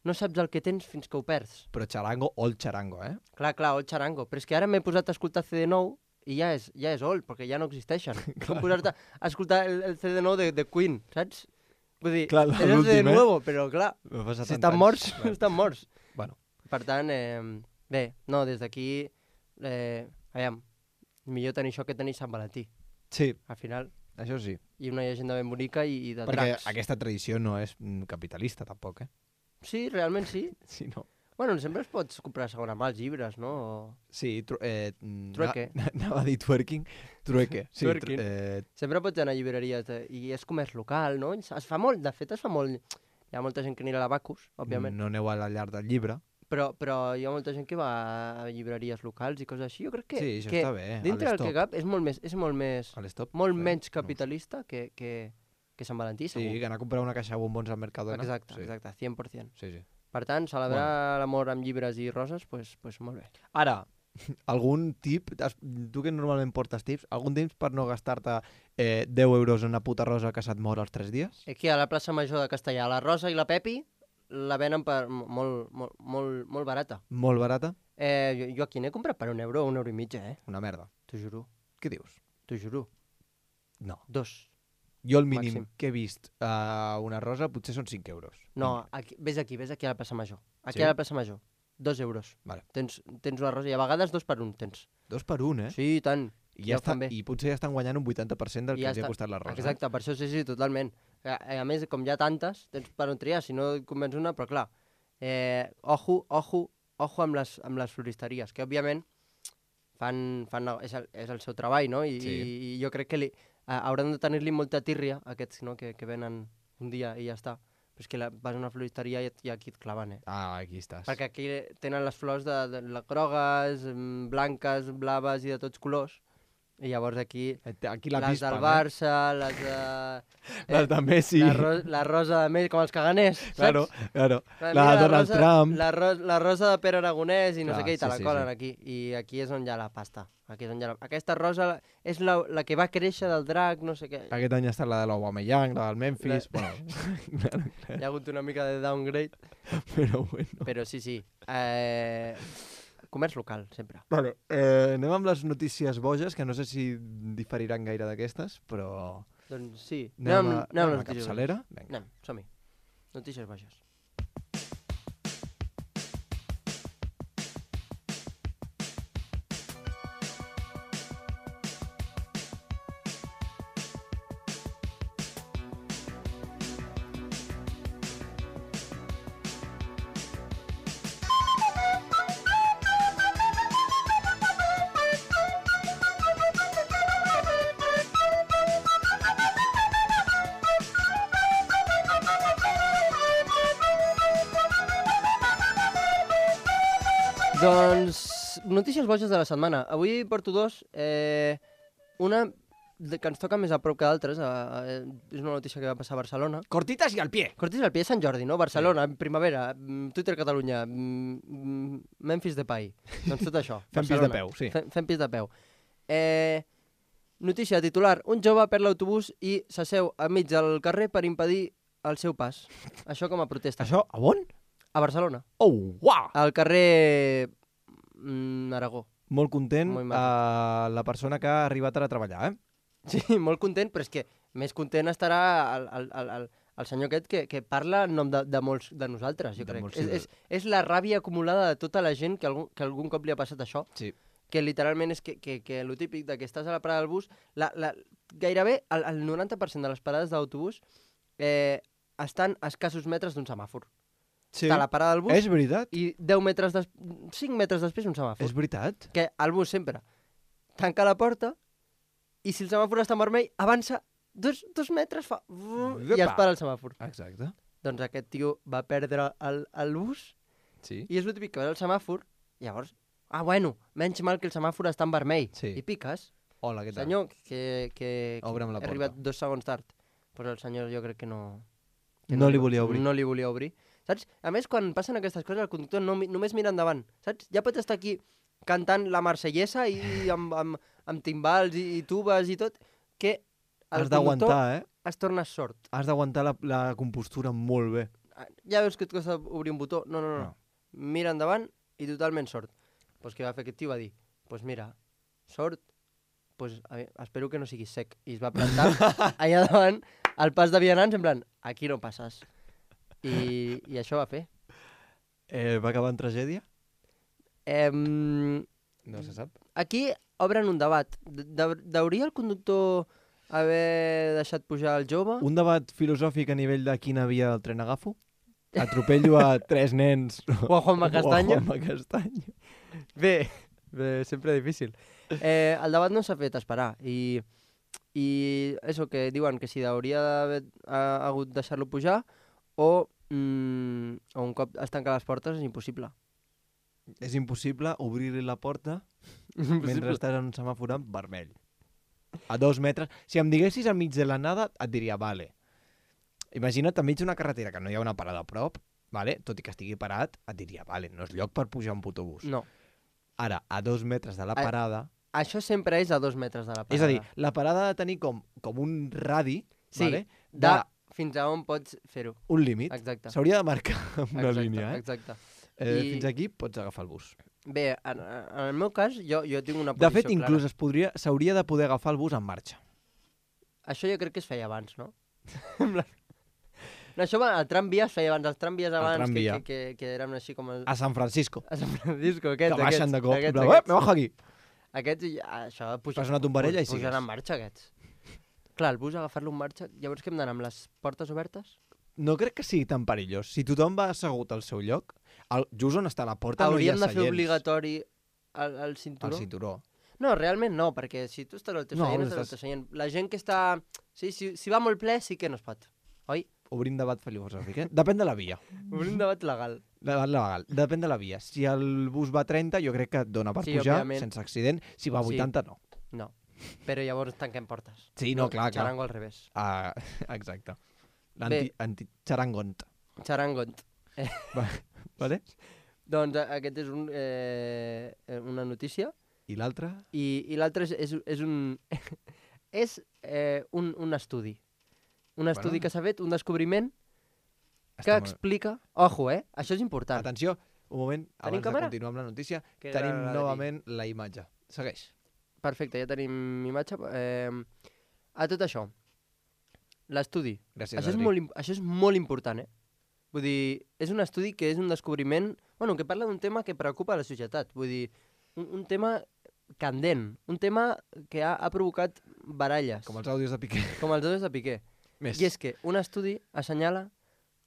no saps el que tens fins que ho perds? Però xarango, old xarango, eh? Clar, clar, el xarango. Però és que ara m'he posat a escoltar C D nou i ja és, ja és old, perquè ja no existeixen. Com posar-te a escoltar el, el C D nou de, de Queen, saps? Vull dir, Clar, és el C D l'últim, eh? nuevo, però clar, No passa si tant estan anys, morts, clar. estan morts. Bueno, Per tant, eh, bé, no, des d'aquí, eh, aviam, millor tenir això que tenir Sant Valentí, sí, al final. això sí. I una llegenda ben bonica i, i de Perquè dracs. aquesta tradició no és mm, capitalista, tampoc, eh? Sí, realment sí. Sí, no. Bueno, sempre es pots comprar a segona mà els llibres, no? O... Sí, tru eh, mm, Trueque. na- Anava a dir twerking. Trueque. Sí, Twerking. tru eh, Sempre pots anar a llibreries de... i és comerç local, no? Es es fa molt, de fet es fa molt... Hi ha molta gent que anirà a la Bacus, òbviament, no aneu a la llar del llibre. però, però hi ha molta gent que va a llibreries locals i coses així. Jo crec que, Sí, això que està bé. a dintre del l'Stop. que cap és molt més, és molt més, A l'Stop. molt Bé, menys no. capitalista que, que, que Sant Valentí, Sí, segur. que anar a comprar una caixa de bombons al Mercadona. Exacte, sí. exacte, cent per cent. Sí, sí. Per tant, celebrar l'amor amb llibres i roses, pues, pues molt bé. Ara, algun tip, has- tu que normalment portes tips, algun tip per no gastar-te eh, deu euros en una puta rosa que se't mor als tres dies? Aquí a la plaça Major de Castellà, la Rosa i la Pepi la venen per mo- molt, molt, molt, molt barata. Molt barata? Eh, jo, jo aquí n'he comprat per un euro o un euro i mitja, eh? Una merda. T'ho juro, Què dius? t'ho juro. No. Dos. Jo el mínim Màxim. que he vist a una rosa potser són cinc euros. No, aquí, vés aquí, vés aquí a la plaça Major. Aquí Sí? a la plaça Major. Dos euros. Vale. Tens, tens una rosa i a vegades dos per un tens. Dos per un, eh? Sí, i tant. I, ja ho està, fan bé. I potser ja estan guanyant un vuitanta per cent del I que ja els ha està. costat la rosa. Exacte, per això sí, sí, totalment. A, a més, com hi ha tantes, tens per on triar, si no et convenç una, però clar, eh, ojo, ojo, ojo amb les, amb les floristeries, que òbviament fan, fan, és, el, és el seu treball, no? I, Sí. i, i jo crec que li, a, hauran de tenir-li molta tírria, aquests, no?, que, que venen un dia i ja està. Però és que la, vas a una floristeria i, et- i aquí et claven, eh? Ah, aquí estàs. Perquè aquí tenen les flors de, de, de grogues, mm, blanques, blaves i de tots colors. I llavors aquí Aquí la les pispa, del Barça, les de... Eh? Les de Messi. La, ro la rosa de Messi, com els caganers, saps? Claro, claro. Mira, La de Donald rosa, Trump. La, ro la rosa de Pere Aragonès i no Clar, sé què, i te sí, la sí, colen sí. aquí. I aquí és on hi ha la pasta. Aquí és on hi ha la... Aquesta rosa és la, la que va créixer del drac, no sé què. Aquest any ha estat la de l'Aubameyang, la del Memphis... La- Bueno, claro, Hi ha hagut una mica de downgrade, però bueno. però sí, sí. Eh... Comerç local, sempre. Vale, eh, anem amb les notícies boges, que no sé si diferiran gaire d'aquestes, però... Doncs sí. Anem, Anem, a, anem, anem anem a a notícies capçalera? baixes. Vinga. Anem, som-hi. Notícies baixes. Doncs, notícies boges de la setmana. Avui porto dos. Eh, una de, que ens toca més a prop que d'altres. Eh, és una notícia que va passar a Barcelona. Cortitas i al pie. Cortitas al pie, Sant Jordi, no? Barcelona, sí. Primavera, Twitter Catalunya, Memphis Depay. Doncs tot això. Fem pis de peu, sí. Fem, fem pis de peu. Eh, notícia titular. Un jove perd l'autobús i s'asseu enmig del carrer per impedir el seu pas. Això com a protesta. Això a on? A Barcelona. Oh, uau! Al carrer mm, Aragó. Molt content Molt uh, la persona que ha arribat ara a treballar, eh? Sí, molt content, però és que més content estarà el, el, el, el, el senyor aquest que, que parla en nom de, de molts de nosaltres, jo de crec. Molts, és, sí, és, és la ràbia acumulada de tota la gent que algun, que algun cop li ha passat això. Sí. Que literalment és que, que, que lo típic de que estàs a la parada del bus, la, la, gairebé el, el noranta per cent de les parades d'autobús eh, estan a escassos metres d'un semàfor. Sí. Està a la parada del bus És veritat? i deu metres des... cinc metres després un semàfor. És veritat? Que el bus sempre tanca la porta i si el semàfor està en vermell avança dos, dos metres fa... i es para el semàfor. Exacte. Doncs aquest tio va perdre el, el bus Sí. i és el típic que veus el semàfor i llavors, ah bueno, menys mal que el semàfor està en vermell. Sí. I piques. Hola, què tal? Senyor, que, que, que Obre'm la he porta. arribat dos segons tard. Però el senyor jo crec que no... Que No li volia obrir. No li volia obrir. Saps? A més, quan passen aquestes coses, el conductor no, només mira endavant. Saps? Ja pots estar aquí cantant la marsellesa i amb, amb, amb timbals i, i tubes i tot, que el Has d'aguantar, eh? es torna sord. Has d'aguantar la, la compostura molt bé. Ja veus que et costa obrir un botó? No, no, no. No. no. Mira endavant i totalment sord. Pues què va fer aquest tio? Va dir, pues mira, sord, pues a veure, espero que no siguis sec. I es va plantar allà davant al pas de vianants, en plan, aquí no passes. I, i això va fer. Eh, va acabar en tragèdia? Eh, No se sap. aquí obren un debat. De, de, deuria el conductor haver deixat pujar el jove? Un debat filosòfic a nivell de quina via del tren agafo? Atropello a tres nens. O a Juanma Castaño? O a Juanma Castaño. Bé, bé, sempre difícil. Eh, el debat no s'ha fet esperar i, i això que diuen que si hauria d'haver ha, hagut deixar-lo pujar o, mm, o un cop es tanca les portes és impossible. És impossible obrir-li la porta mentre estàs en un semàfor en vermell. A dos metres. Si em diguessis enmig de la nada, et diria, vale. Imagina't enmig d'una carretera que no hi ha una parada a prop, vale? Tot i que estigui parat, et diria, vale, no és lloc per pujar un autobús. No. Ara, a dos metres de la A- parada... Això sempre és a dos metres de la parada. És a dir, la parada ha de tenir com, com un radi, Sí, vale? de de fins a on pots fer-ho. un límit. Exacte. S'hauria de marcar amb una Exacte, línia, eh? Exacte. eh I- Fins aquí pots agafar el bus. Bé, en, en el meu cas, jo, jo tinc una De posició fet, inclús es podria, s'hauria de poder agafar el bus en marxa. clara. Això jo crec que es feia abans, no? No, això va, el tramvia es feia abans, els tramvies abans, que, tramvia. que, que, que eren així com... El... A San Francisco. A Sant Francisco, aquests, Que baixen aquests, de cop. aquests, Aquests, aquests, me bajo aquí. aquests, i, ah, això puja, Fas una tombarella i pugen sigues. en marxa, aquests. Clar, el bus agafar-lo en marxa, llavors que hem d'anar amb les portes obertes? No crec que sigui tan perillós. Si tothom va assegut al seu lloc, el, just on està la porta Hauríem no hi de ha fer seients. obligatori el, el cinturó? El cinturó. No, realment no, perquè si tu estàs al teu No, seient, estàs al estàs- teu seient. La gent que està... Sí, si, si va molt ple, sí que no es pot. Oi? Obrim debat filosòfic, eh? Depèn de la via. Obrim debat legal. Debat legal. Depèn de la via. Si el bus va a trenta, jo crec que et dona per Sí, pujar òbviament. sense accident. Si va a Sí. vuitanta, no. No. Però llavors tanquem portes. Sí, no, clar, clar. Xarango al revés. Ah, exacte. L'anti- Anti-xarangont. Xarangont. Va, vale? Doncs a- aquest és un, eh, una notícia I l'altre? i, i l'altre és, és, és un és eh, un, un estudi. Un estudi Bueno. que s'ha fet, un descobriment que Està molt- explica... Ojo, eh? Això és important. Atenció, un moment, abans càmera? de continuar amb la notícia, Que tenim la- la- novament la imatge. Segueix. Perfecte, ja tenim imatge. Eh, a tot això, l'estudi. Gràcies, Això, és Adri. molt, im- això és molt important, eh? Vull dir, és un estudi que és un descobriment... Bueno, que parla d'un tema que preocupa a la societat. Vull dir, un, un tema candent, un tema que ha, ha provocat baralles, Com els àudios de Piqué. com els dos de Piqué. Més. I és que un estudi assenyala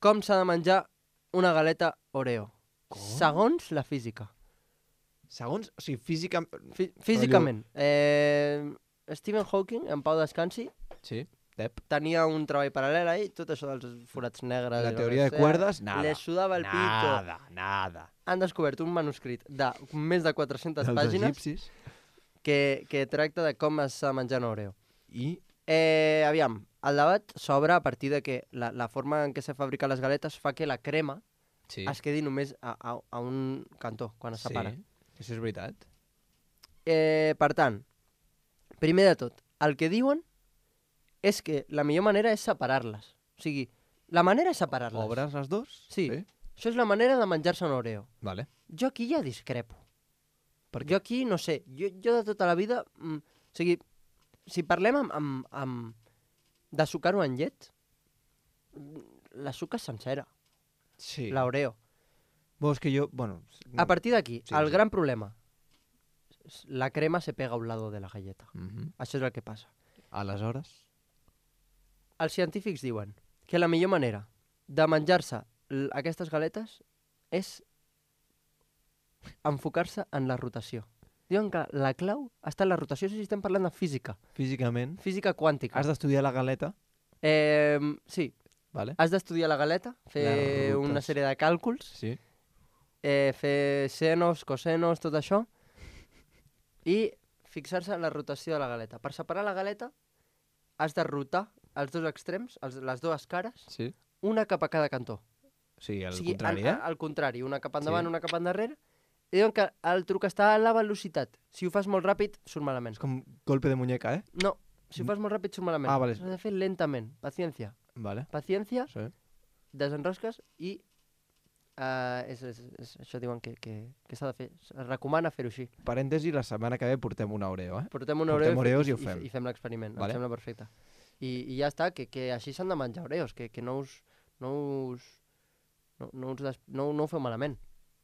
com s'ha de menjar una galeta Oreo, Com? segons la física. Segons, o sigui, física... Fí Físicament. Eh, Stephen Hawking, en pau descansi, Sí. Tep. tenia un treball paral·lel ahí, tot això dels forats negres... La i teoria de cuerdas, nada. Les sudava el pito. Nada, nada. Han descobert un manuscrit de més de quatre-centes Dels pàgines egipcis. que, que tracta de com s'ha de menjar un Oreo. I Eh, aviam, el debat s'obre a partir de que la, la forma en què se fabriquen les galetes fa que la crema sí. es quedi només a, a, a un cantó, quan es sí. separa. Això és veritat. Eh, per tant, primer de tot, el que diuen és que la millor manera és separar-les. O sigui, la manera és separar-les. Obres les dos? Sí. sí. Això és la manera de menjar-se un Oreo. Vale. Jo aquí ja discrepo. Per Jo aquí, no sé, jo, jo de tota la vida... Mm, o sigui, si parlem amb, amb, amb de sucar-ho en llet, la suca és sencera, Sí. l'Oreo. Vos que jo... Bueno... A partir d'aquí, Sí, el sí. gran problema, la crema se pega a un lado de la galleta. Uh -huh. Això és el que passa. Aleshores... Els científics diuen que la millor manera de menjar-se l- aquestes galetes és enfocar-se en la rotació. Diuen que la clau està en la rotació, si estem parlant de física, Físicament... física quàntica. Has d'estudiar la galeta, Eh, sí, vale? has d'estudiar la galeta, fer Les una rutes. sèrie de càlculs, Sí. eh, fer senos, cosenos, tot això, i fixar-se en la rotació de la galeta. Per separar la galeta has de rotar els dos extrems, els, les dues cares, Sí. una cap a cada cantó. O sigui, O al sigui, contrari, al, eh? al contrari, una cap endavant, Sí. una cap endarrere, i diuen que el truc està a la velocitat. Si ho fas molt ràpid, surt malament. És com golpe de muñeca, eh? No, si ho fas molt ràpid, surt malament. Ah, vale. Has de fer lentament, paciència. Vale. Paciència, Sí. desenrosques i uh, és, és, és, això diuen que, que, que s'ha de fer. Es recomana fer-ho així. Parèntesi, la setmana que ve portem una Oreo, eh? Portem un Portem Oreo Oreos i, i ho i, fem. i fem l'experiment. Vale. Em sembla perfecte. I, I ja està, que, que així s'han de menjar Oreos, que, que no us... No us no, no, us des... no, no ho feu malament.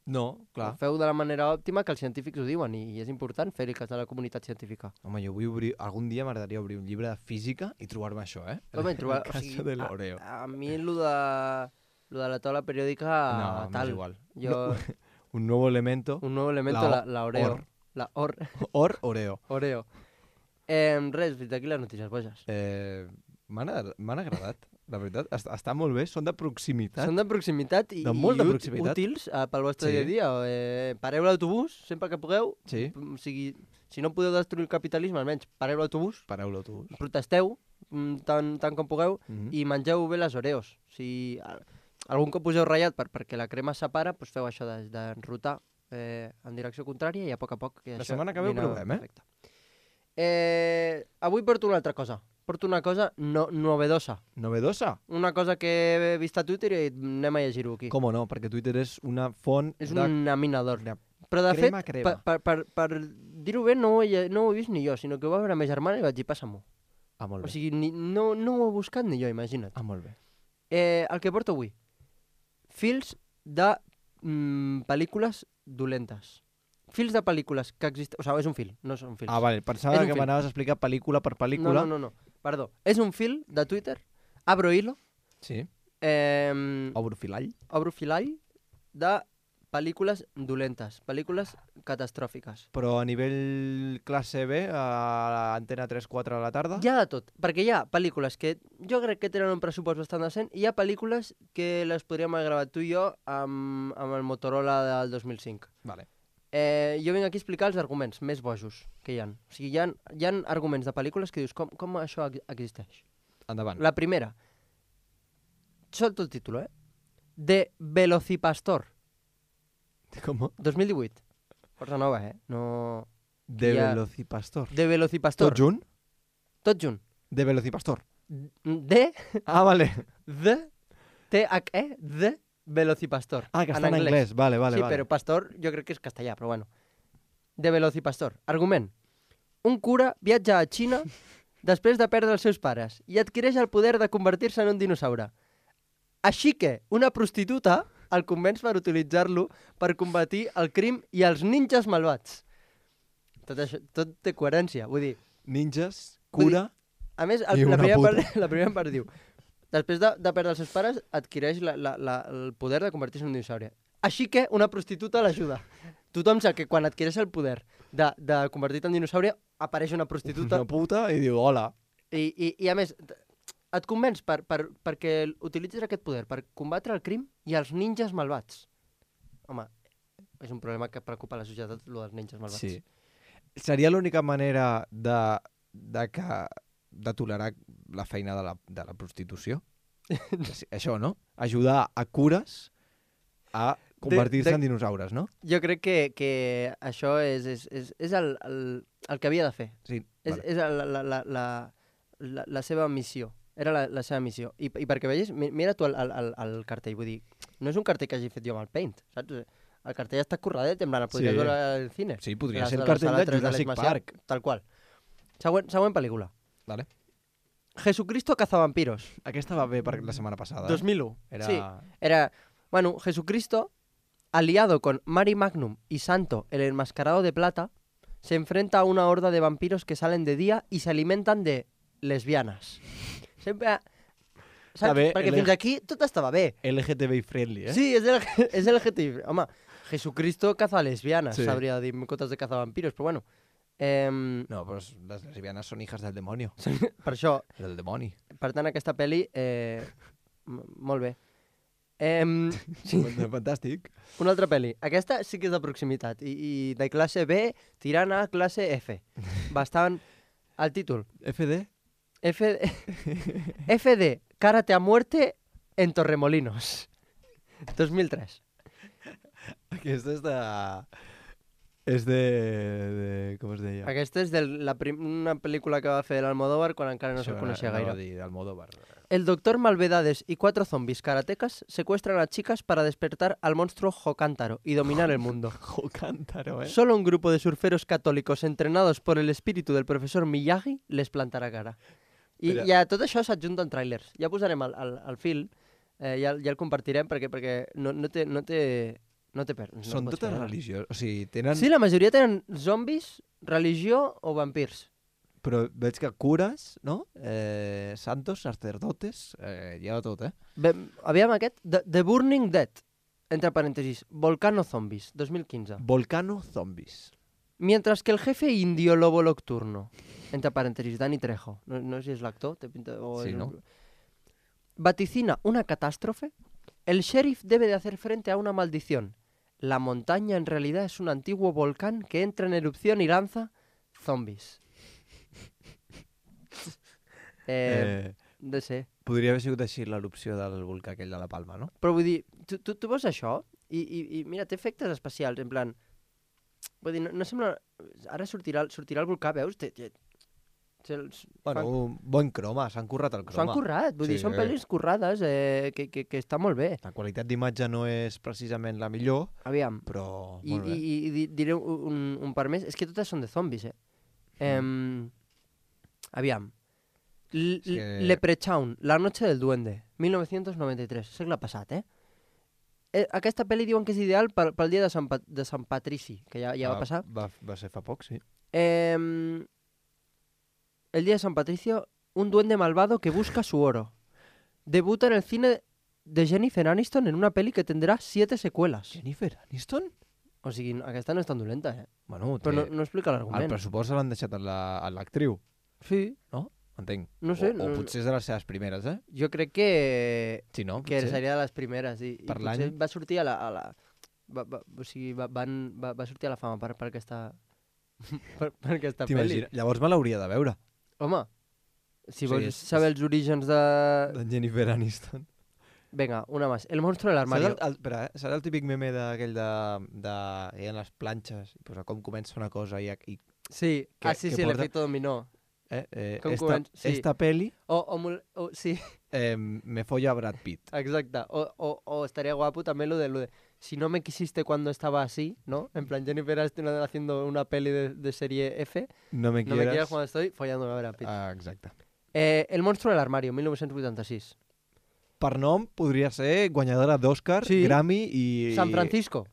No, clar. Ho feu de la manera òptima que els científics ho diuen i, i és important fer-hi cas de la comunitat científica. Home, jo vull obrir... Algun dia m'agradaria obrir un llibre de física i trobar-me això, eh? Home, trobar, El o cas sigui, de l'Oreo. a, a mi lo de, lo de la taula periòdica No, m'és tal. igual. Jo, Un nuevo elemento. un nou elemento, La la, o- la Oreo. or. La or, Or, Oreo. Oreo. Eh, res, fins aquí les notícies boges. Eh, M'han agra- m'han agradat, la veritat. Està, està molt bé, són de proximitat. Són de proximitat i, De molt de i út- proximitat. útils uh, pel vostre Sí. dia a dia. Eh, pareu l'autobús sempre que pugueu. Sí, O sigui, si no podeu destruir el capitalisme, almenys pareu l'autobús, pareu l'autobús. protesteu mm, tant, tant com pugueu Mhm. i mengeu bé les Oreos. Si a- algun cop us heu ratllat per, perquè la crema es separa, doncs feu això de- d'enrotar eh, en direcció contrària i a poc a poc... Que La això setmana que ve ho vine provem, eh? perfecte. Eh, avui porto una altra cosa. Porto una cosa no, novedosa. Novedosa? Una cosa que he vist a Twitter i anem a llegir-ho aquí. Com no? Perquè Twitter és una font És de... un laminador. de Però de crema, fet, crema. per, per, per, per dir-ho bé, no ho, he, no ho he vist ni jo, sinó que ho va veure ma germana i vaig dir, passa-m'ho. Ah, molt O bé. sigui, ni, no, no ho he buscat ni jo, imagina't. Ah, molt bé. Eh, el que porto avui. Fils de mm, pel·lícules dolentes. Fils de pel·lícules que existeixen... O sigui, és un fil, no són fils. Ah, vale. Pensava És un que fil. m'anaves a explicar pel·lícula per no, pel·lícula. no, no, no. Perdó. És un fil de Twitter, abro hilo, Sí. eh, Obro filall. obro filall de pel·lícules dolentes, pel·lícules catastròfiques. Però a nivell classe B, a l'antena tres quatre de la tarda... Hi ha de tot, perquè hi ha pel·lícules que jo crec que tenen un pressupost bastant decent i hi ha pel·lícules que les podríem haver gravat tu i jo amb, amb el Motorola del dos mil cinc. Vale. Eh, jo vinc aquí a explicar els arguments més bojos que hi ha. O sigui, hi ha, hi ha arguments de pel·lícules que dius, com, com això ex- existeix? Endavant. La primera, solto el títol, eh? De Velocipastor, Com? dos mil divuit. Força nova, eh? No... De ha- Velocipastor. De Velocipastor. Tot junt? Tot junt. De Velocipastor. De, Ah, vale. de, T-H-E, de Velocipastor. Ah, que està en anglès. Vale, vale, sí, vale. però pastor jo crec que és castellà, però bueno. De Velocipastor. Argument. Un cura viatja a Xina després de perdre els seus pares i adquireix el poder de convertir-se en un dinosaure. Així que una prostituta el convenç per utilitzar-lo per combatir el crim i els ninjas malvats. Tot, això, tot té coherència. Vull dir, Ninjas, Vull dir, cura... a més, el, I la, una primera puta. part, la primera part diu després de, de perdre els seus pares, adquireix la, la, la, el poder de convertir-se en un dinosaure. Així que una prostituta l'ajuda. Tothom sap que quan adquireix el poder de, de convertir-te en dinosaure, apareix una prostituta Una puta i diu, hola. i, i, i a més, et convenç per, per, perquè utilitzis aquest poder per combatre el crim i els ninjas malvats. Home, és un problema que preocupa la societat, el dels ninjas malvats. Sí. Seria l'única manera de, de, que, de tolerar la feina de la, de la prostitució? Això, no? Ajudar a cures a convertir-se en dinosaures, no? Jo crec que, que això és, és, és, és el, el, el que havia de fer. Sí, és, vale. és la, la, la, la, la, la seva missió. Era la, la seva missió. I, i perquè vegis, mira tu el, el, el cartell, vull dir, no és un cartell que hagi fet jo amb el Paint, saps? El cartell està curradet, en plan, el podries Sí. veure al cine. Sí, podria Les- ser el de la cartell sala de tres Jurassic l'Eix Macià, Park. Tal qual. Següent, següent pel·lícula. Vale. Jesucristo cazavampiros. Aquesta va bé per la setmana passada. dos mil u. Era... Sí, era, bueno, Jesucristo, aliado con Mari Magnum y Santo, el enmascarado de plata, se enfrenta a una horda de vampiros que salen de día y se alimentan de lesbianes. Sempre... Saps? bé, Perquè L- fins aquí tot estava bé. L G T B friendly, eh? Sí, és el, és el L G T B. Home, Jesucristo caza lesbianas, Sí. s'hauria de dir en comptes de cazavampiros, però bueno. Eh, No, però les lesbianes són hijas del demonio. per això, Del demoni. per tant, aquesta pel·li, eh, m- molt bé. Eh, sí. Fantàstic. Una altra pel·li. Aquesta sí que és de proximitat. I, i de classe B tirant a classe F. Bastant... El títol. F D? F D... F D. Cárate a muerte en Torremolinos. dos mil tres. Aquesta és de... És de... de... Com es deia? Aquesta és de la prim... una pel·lícula que va fer l'Almodóvar quan encara no se'l coneixia gaire. Dir, Almodóvar. El doctor Malvedades y cuatro zombies karatecas secuestran a chicas para despertar al monstruo Jocántaro y dominar el mundo. Jocántaro, eh? Solo un grupo de surferos católicos entrenados por el espíritu del profesor Miyagi les plantarà cara. I Però- ja tot això s'adjunta en trailers. Ja posarem el, el, el fil, eh, ja, ja el compartirem perquè, perquè no, no té... No té, no té per, no Són pots totes veure. religions. O sigui, tenen... Sí, la majoria tenen zombis, religió o vampirs. Però veig que cures, no? Eh, santos, sacerdotes, eh, hi ha de tot, eh? Bé, aviam aquest, The, The Burning Dead, entre paréntesis, Volcano Zombies, dos mil quinze. Volcano Zombies. Mientras que el jefe indio lobo nocturno, entre paréntesis, Danny Trejo, no, no sé si es l'actor, té pinta... O Sí, és- ¿no? Vaticina una catástrofe, el sheriff debe de hacer frente a una maldición. La montaña en realidad es un antiguo volcán que entra en erupción y lanza zombies. eh, Eh, no sé. podria haver sigut així l'erupció del volcà aquell de la Palma, no? Però vull dir, tu, tu, tu veus això i, i, i mira, té efectes especials, en plan... Vull dir, no, no sembla... Ara sortirà, el- sortirà el volcà, veus? Té, té, té els, Bueno, fan- un bon croma, s'han currat el s'ho croma. han currat, vull dir, Sí. són pel·lis currades eh, que, que, que està molt bé. La qualitat d'imatge no és precisament la millor, Aviam, però i, molt i, bé. i, i di- diré un, un par més, és que totes són de zombis, eh? Em, aviam. L És que- Leprechaun, La noche del duende, mil nou-cents noranta-tres, segle passat, eh? eh? Aquesta pel·li diuen que és ideal pel, pel dia de Sant, Pa- de Sant Patrici, que ja, ja va passar. Va, va ser fa poc, sí. Eh, el día de San Patricio, un duende malvado que busca su oro. Debuta en el cine de Jennifer Aniston en una peli que tendrá siete secuelas. Jennifer Aniston? O sigui, aquesta no és tan dolenta, eh? Bueno, Però no, té... no explica el l'argument. pressupost l'han deixat a la- a l'actriu, Sí, entenc. No sé, O, o no- potser és de les seves primeres, eh? jo crec que, Sí, no? que Potser. seria de les primeres. I, Per i potser l'any. va sortir a la... A la va, va, o sigui, va, van, va, va sortir a la fama per, per aquesta, per, per aquesta pel·li. T'imagines? Llavors me l'hauria de veure, Home, si Sí, vols és- saber els orígens de... de Jennifer Aniston. Venga, una más. El monstruo del Saps armario. el, el, espera, eh? Saps el típic meme d'aquell de, de... Hi ha les planxes, i posa com comença una cosa i... i Sí, que- ah, sí, que sí, porta- l'efecto dominó. eh, eh, Com esta, comença- sí. esta peli O, o, mul- o sí, eh, me folla a Brad Pitt. exacte. O, o, o estaría guapo también lo de, lo de si no me quisiste cuando estaba así, ¿no? En plan, Jennifer Aniston haciendo una peli de, de serie F. No me No me quieras... quieras cuando estoy follando a Brad Pitt. Ah, exacte. Eh, El monstruo del armario, mil nou-cents vuitanta-sis. Per nom podria ser guanyadora d'Oscar, Sí. Grammy i... San Francisco.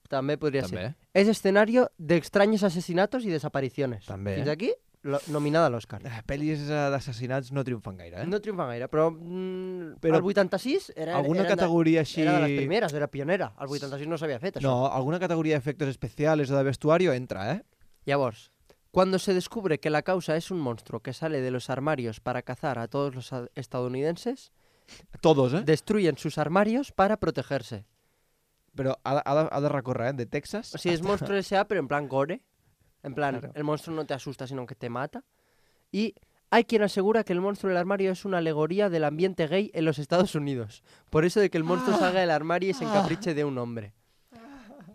També podria També. ser. Es escenario de extraños asesinatos y desapariciones. També. Fins aquí, lo, nominada a l'Oscar. Eh, Pel·lis eh, d'assassinats no triomfen gaire, eh? No triomfa gaire, però, mm, Però el vuitanta-sis era, Alguna era, categoria així... era de les primeres, era pionera. El vuitanta-sis no s'havia fet, això. No, alguna categoria d'efectes especials o de vestuario entra, eh? Llavors, Cuando se descubre que la causa es un monstruo que sale de los armarios para cazar a todos los a- estadounidenses, Todos, eh? destruyen sus armarios para protegerse. Però ha, de- ha, de, ha de recórrer, eh? De Texas. O sea, es monstruo S A, pero en plan gore. En plan, Claro. el monstruo no te asusta, sino que te mata. Y hay quien asegura que el monstruo del armario es una alegoría del ambiente gay en los Estados Unidos. Por eso de que el monstruo salga del armario y se encapriche de un hombre.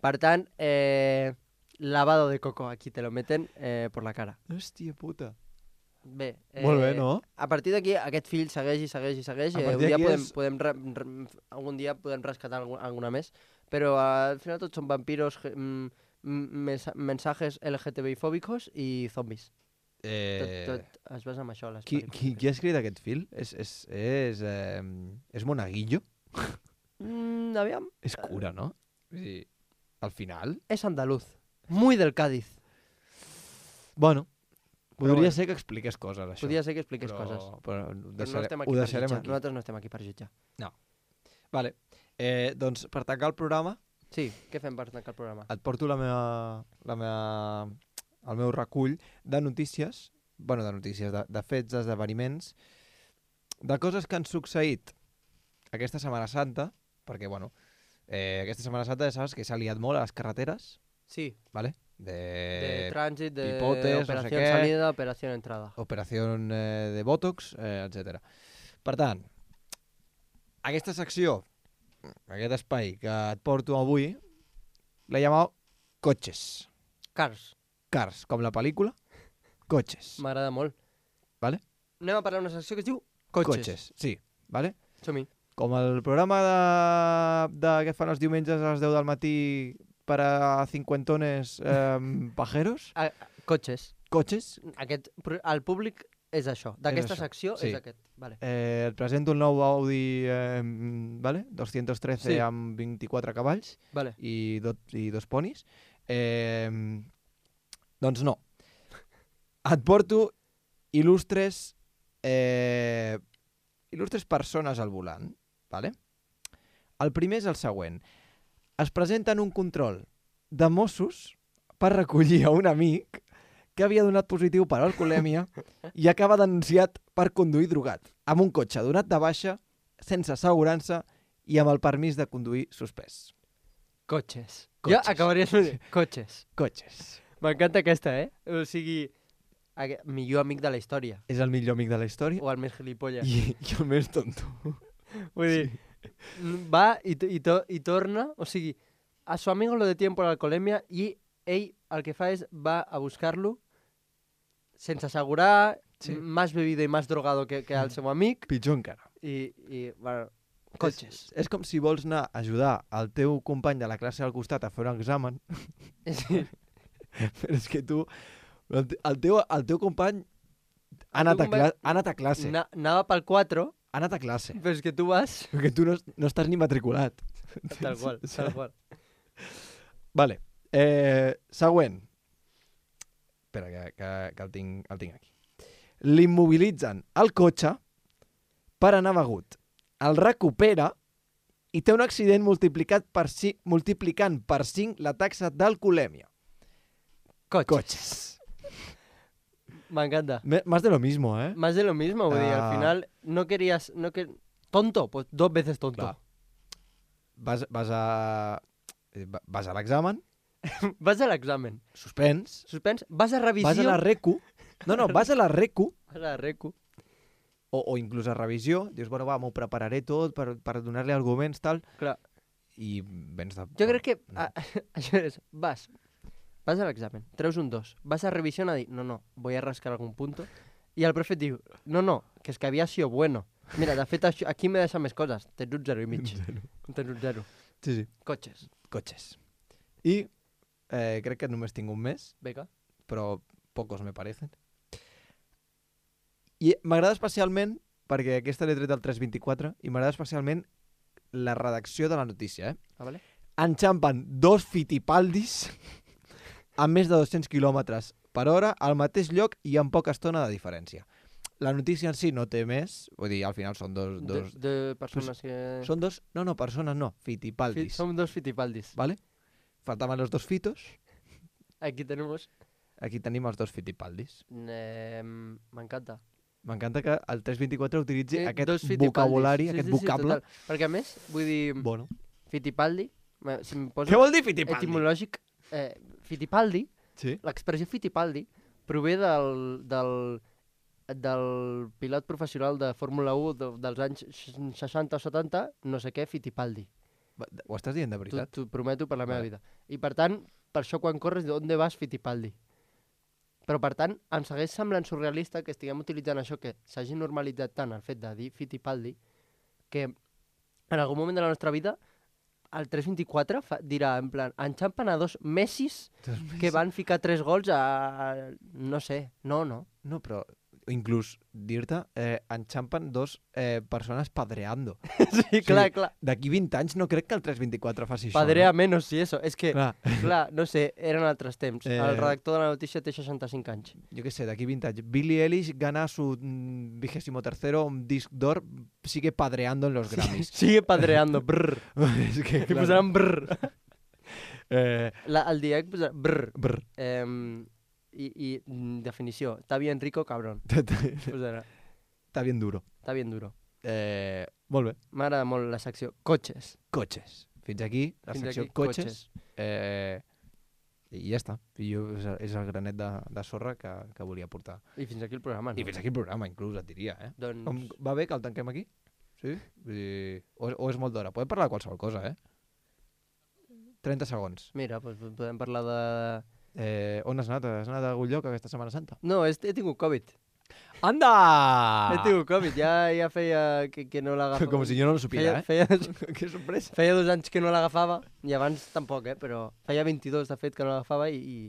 Per tant, eh, lavado de coco, aquí te lo meten eh, por la cara. Hòstia puta. Bé, eh, Molt bé, no? A partir d'aquí, aquest fill segueix i segueix i segueix. A Eh, un partir dia d'aquí podem, és- podem re, re, algun dia podem rescatar algun, alguna més, però eh, al final tots són vampiros, ge- mm, mm, mesa- mensajes L G T B I fòbicos i zombis. Eh... Tot, tot es basa en això, les Qui, pel·lícules. qui, qui ha escrit aquest fil? És, és, és, eh, és Monaguillo? Mm, aviam, És cura, no? Vull dir, al final... és andaluz. Muy del Cádiz. Bueno, podria bueno. ser que expliqués coses, això. Podria ser que expliqués però, coses. Però ho, Però deixare, no estem ho aquí per deixarem jutjar. aquí. Nosaltres no estem aquí per jutjar. Vale. Eh, doncs, per tancar el programa, Sí, què fem per tancar el programa? et porto la meva, la meva, el meu recull de notícies, bueno, de notícies, de, de fets, d'esdeveniments, de coses que han succeït aquesta Setmana Santa, perquè, bueno, eh, aquesta Setmana Santa ja saps que s'ha liat molt a les carreteres, Sí, ¿vale? De, de trànsit, de pipotes, no sé operació què. salida, operació entrada. operació eh, de Botox, eh, etcètera. Per tant, aquesta secció, aquest espai que et porto avui, l'he llamat Cotxes. Cars, Cars, com la pel·lícula, Cotxes. m'agrada molt. Vale? Anem a parlar d'una secció que es diu Cotxes. Cotxes, sí. Vale? Som-hi. Com el programa de, de que fan els diumenges a les deu del matí per a cinquentones eh, pajeros, A, cotxes. cotxes. Aquest, pro- el públic és això. D'aquesta això, secció sí. és aquest. Vale. Eh, et presento el nou Audi eh, vale? doscientos trece Sí. amb vint-i-quatre cavalls Vale. i, do, i dos ponis. Eh, doncs no. Et porto il·lustres eh, il·lustres persones al volant. Vale? El primer és el següent. Es presenta en un control de Mossos per recollir a un amic que havia donat positiu per alcoholèmia i acaba denunciat per conduir drogat, amb un cotxe donat de baixa, sense assegurança i amb el permís de conduir suspès. Cotxes. Cotxes. Jo acabaria de cotxes. Cotxes. M'encanta aquesta, eh? O sigui, aquest, millor amic de la història. És el millor amic de la història O el més gilipolles. i, i el més tonto. Vull dir, va i, to- i, to, i torna, o sigui, a su amigo lo detienen por alcoholemia i ell el que fa és va a buscar-lo sense assegurar, Sí. más bebido i más drogado que, que el seu amic Pitjor encara. i, i bueno, cotxes. És, és com si vols anar a ajudar el teu company de la classe al costat a fer un examen, Sí. però és que tu, el, te- el, teu, el teu company ha El anat, teu a, company cla ha anat a classe. Na, anava pel quatre, Ha anat a classe. però és que tu vas... Perquè tu no, no estàs ni matriculat. Tal qual, tal qual. Vale. Eh, següent. Espera, que, que, que el, tinc, el tinc aquí. L'immobilitzen al cotxe per anar begut. El recupera i té un accident multiplicat per ci, multiplicant per cinc la taxa d'alcoholèmia. Cotxes. Cotxes. M'encanta. Me- Más de lo mismo, eh? Más de lo mismo, vull dir, Ah. al final no querías... No que... Tonto, pues dos veces tonto. Clar. Vas, vas a... eh, va- Vas a l'examen, Vas a l'examen. suspens, Suspens, vas a revisió... vas a la recu... No, no, vas a la recu Vas a la recu. o, o inclús a revisió, dius, bueno, va, m'ho prepararé tot per, per donar-li arguments, tal, Clar. i vens de... Jo crec que no. a, això és, vas, vas a l'examen, treus un dos, vas a revisió a dir, no, no, voy a rascar algun punto, i el profe et diu, no, no, que és que havia sido bueno. Mira, de fet, això, aquí me deixa més coses, tens un zero i mig. Tens un zero. Sí, sí. Cotxes. Cotxes. I eh, crec que només tinc un mes, Beca. però pocos me parecen. I m'agrada especialment, perquè aquesta l'he tret del tres vint-i-quatre, i m'agrada especialment la redacció de la notícia, eh? Ah, vale? Enxampen dos fitipaldis a més de dos-cents quilòmetres per hora al mateix lloc i amb poca estona de diferència. La notícia en si no té més, vull dir, al final són dos... De, dos de persones que... Són dos... No, no, persones no, Fi- fitipaldis. Som dos fitipaldis. ¿Vale? Faltaban los dos fitos. Aquí tenemos... Aquí tenim els dos Fittipaldis. Eh, M'encanta. M'encanta que el tres vint-i-quatre utilitzi Sí, aquest dos Fittipaldis. vocabulari, Sí, aquest sí, sí, vocable. total. Perquè a més, vull dir, Bueno. Fittipaldi, eh, si em poso Què vol dir Fittipaldi? etimològic, eh, Fittipaldi, Sí. l'expressió Fittipaldi, prové del, del, del pilot professional de Fórmula u de, dels anys seixanta o setanta, no sé què, Fittipaldi. Va, Ho estàs dient de veritat? T'ho prometo per la meva Vale. vida. I per tant, per això quan corres, d'on vas Fittipaldi? Però per tant, em segueix semblant surrealista que estiguem utilitzant això, que s'hagi normalitzat tant el fet de dir Fittipaldi, que en algun moment de la nostra vida el tres vint-i-quatre fa, dirà, en plan, enxampen a dos Messis que van ficar tres gols a... a no sé, no, no. No, però inclús dir-te, eh, enxampen dos eh, persones padreando. Sí, clar, clar. D'aquí vint anys no crec que el tres vint-i-quatre faci això. Padrea menos, sí, eso. És que, Clar. clar, no sé, eren altres temps. Eh, El redactor de la notícia té seixanta-cinc anys. Yo qué sé, de aquí vint anys. Billie Eilish gana su mm, vigésimo tercero disc d'or, sigue padreando en los Grammys. Sigue padreando, brr. Es que, Que claro. posaran brr. Eh, La, el dia que posaran brr. brr. Eh, i, I mm, definició, está bien rico, cabrón. Posarà, Està bien duro. está bien duro. Eh, molt bé. M'agrada molt la secció cotxes. Cotxes. Fins aquí, la Fins secció aquí, cotxes. Eh, I ja està. I jo, és, el- és el granet de, de sorra que, que volia portar. I fins aquí el programa, no? I fins aquí el programa, inclús, et diria, eh? Doncs, Com, va bé que el tanquem aquí? Sí? Vull dir, o, o és molt d'hora? Podem parlar de qualsevol cosa, eh? trenta segons. mira, doncs podem parlar de... Eh, on has anat? Has anat a algun lloc aquesta Setmana Santa? No, he, he tingut Covid. Anda! He tingut Covid, ja, ja feia que, que no l'agafava. Com si jo no lo supiera, feia, eh? feia, Que sorpresa. feia dos anys que no l'agafava, i abans tampoc, eh? Però feia vint-i-dos, de fet, que no l'agafava i, i,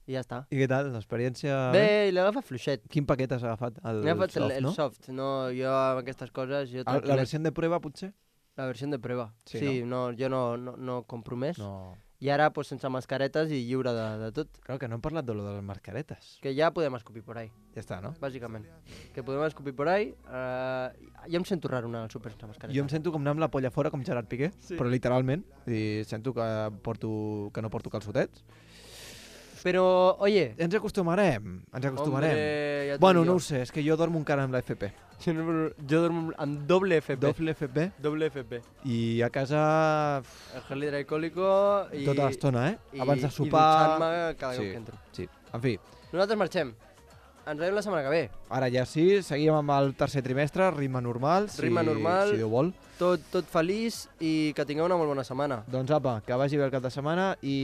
i ja està. I què tal, l'experiència? Bé, i l'he agafat fluixet. Quin paquet has agafat? El, M'he agafat el, soft, el no? soft, no? Jo amb aquestes coses... Jo El, la tranquil·let. versió de prueba, potser? La versió de prueba. Sí, Sí, no? jo no, no, no compro més. No. I ara, pues, sense mascaretes i lliure de, de tot. Clar que no hem parlat de lo de les mascaretes. Que ja podem escopir por ahí, Ja està, no? bàsicament. Que podem escopir por ahí. Uh, jo em sento raro anar al súper sense mascareta. Jo em sento com anar amb la polla fora, com Gerard Piqué, Sí. però literalment. I sento que, porto, que no porto calçotets. Però, oye... Ens acostumarem, ens acostumarem. Hombre, ja t'ho bueno, dic no jo. ho sé, és que jo dormo encara amb la F P. Jo, no, jo dormo amb doble F P. Doble F P. Doble F P. I a casa El gel hidroalcohòlico i... tota l'estona, eh? i- Abans de I sopar... dutxant-me cada Sí. cop que entro. Sí, en fi. Nosaltres marxem. Ens veiem la setmana que ve. Ara ja sí, seguim amb el tercer trimestre, ritme normal, si, Ritme normal. si Déu vol. Tot, tot feliç i que tingueu una molt bona setmana. Doncs apa, que vagi bé el cap de setmana i...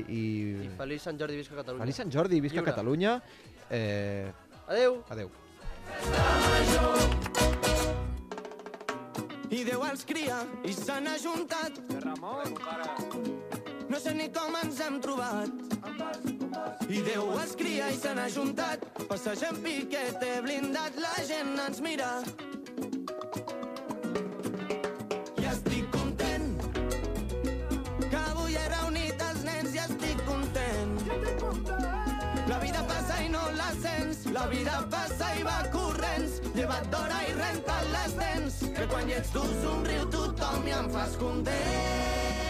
i... I feliç Sant Jordi, visca Catalunya. Feliç Sant Jordi, visca Lliure. Catalunya. Eh... Adeu. Adeu. I Déu els cria i se n'ha juntat. No sé ni com ens hem trobat. I Déu els cria i se n'ha juntat. Passegem piquete blindat, la gent ens mira. I estic content que avui he reunit els nens i estic content. La vida passa i no la sents, la vida passa i va corrents. Lleva't d'hora i renta't les dents, que quan hi ets tu somriu tothom i em fas content.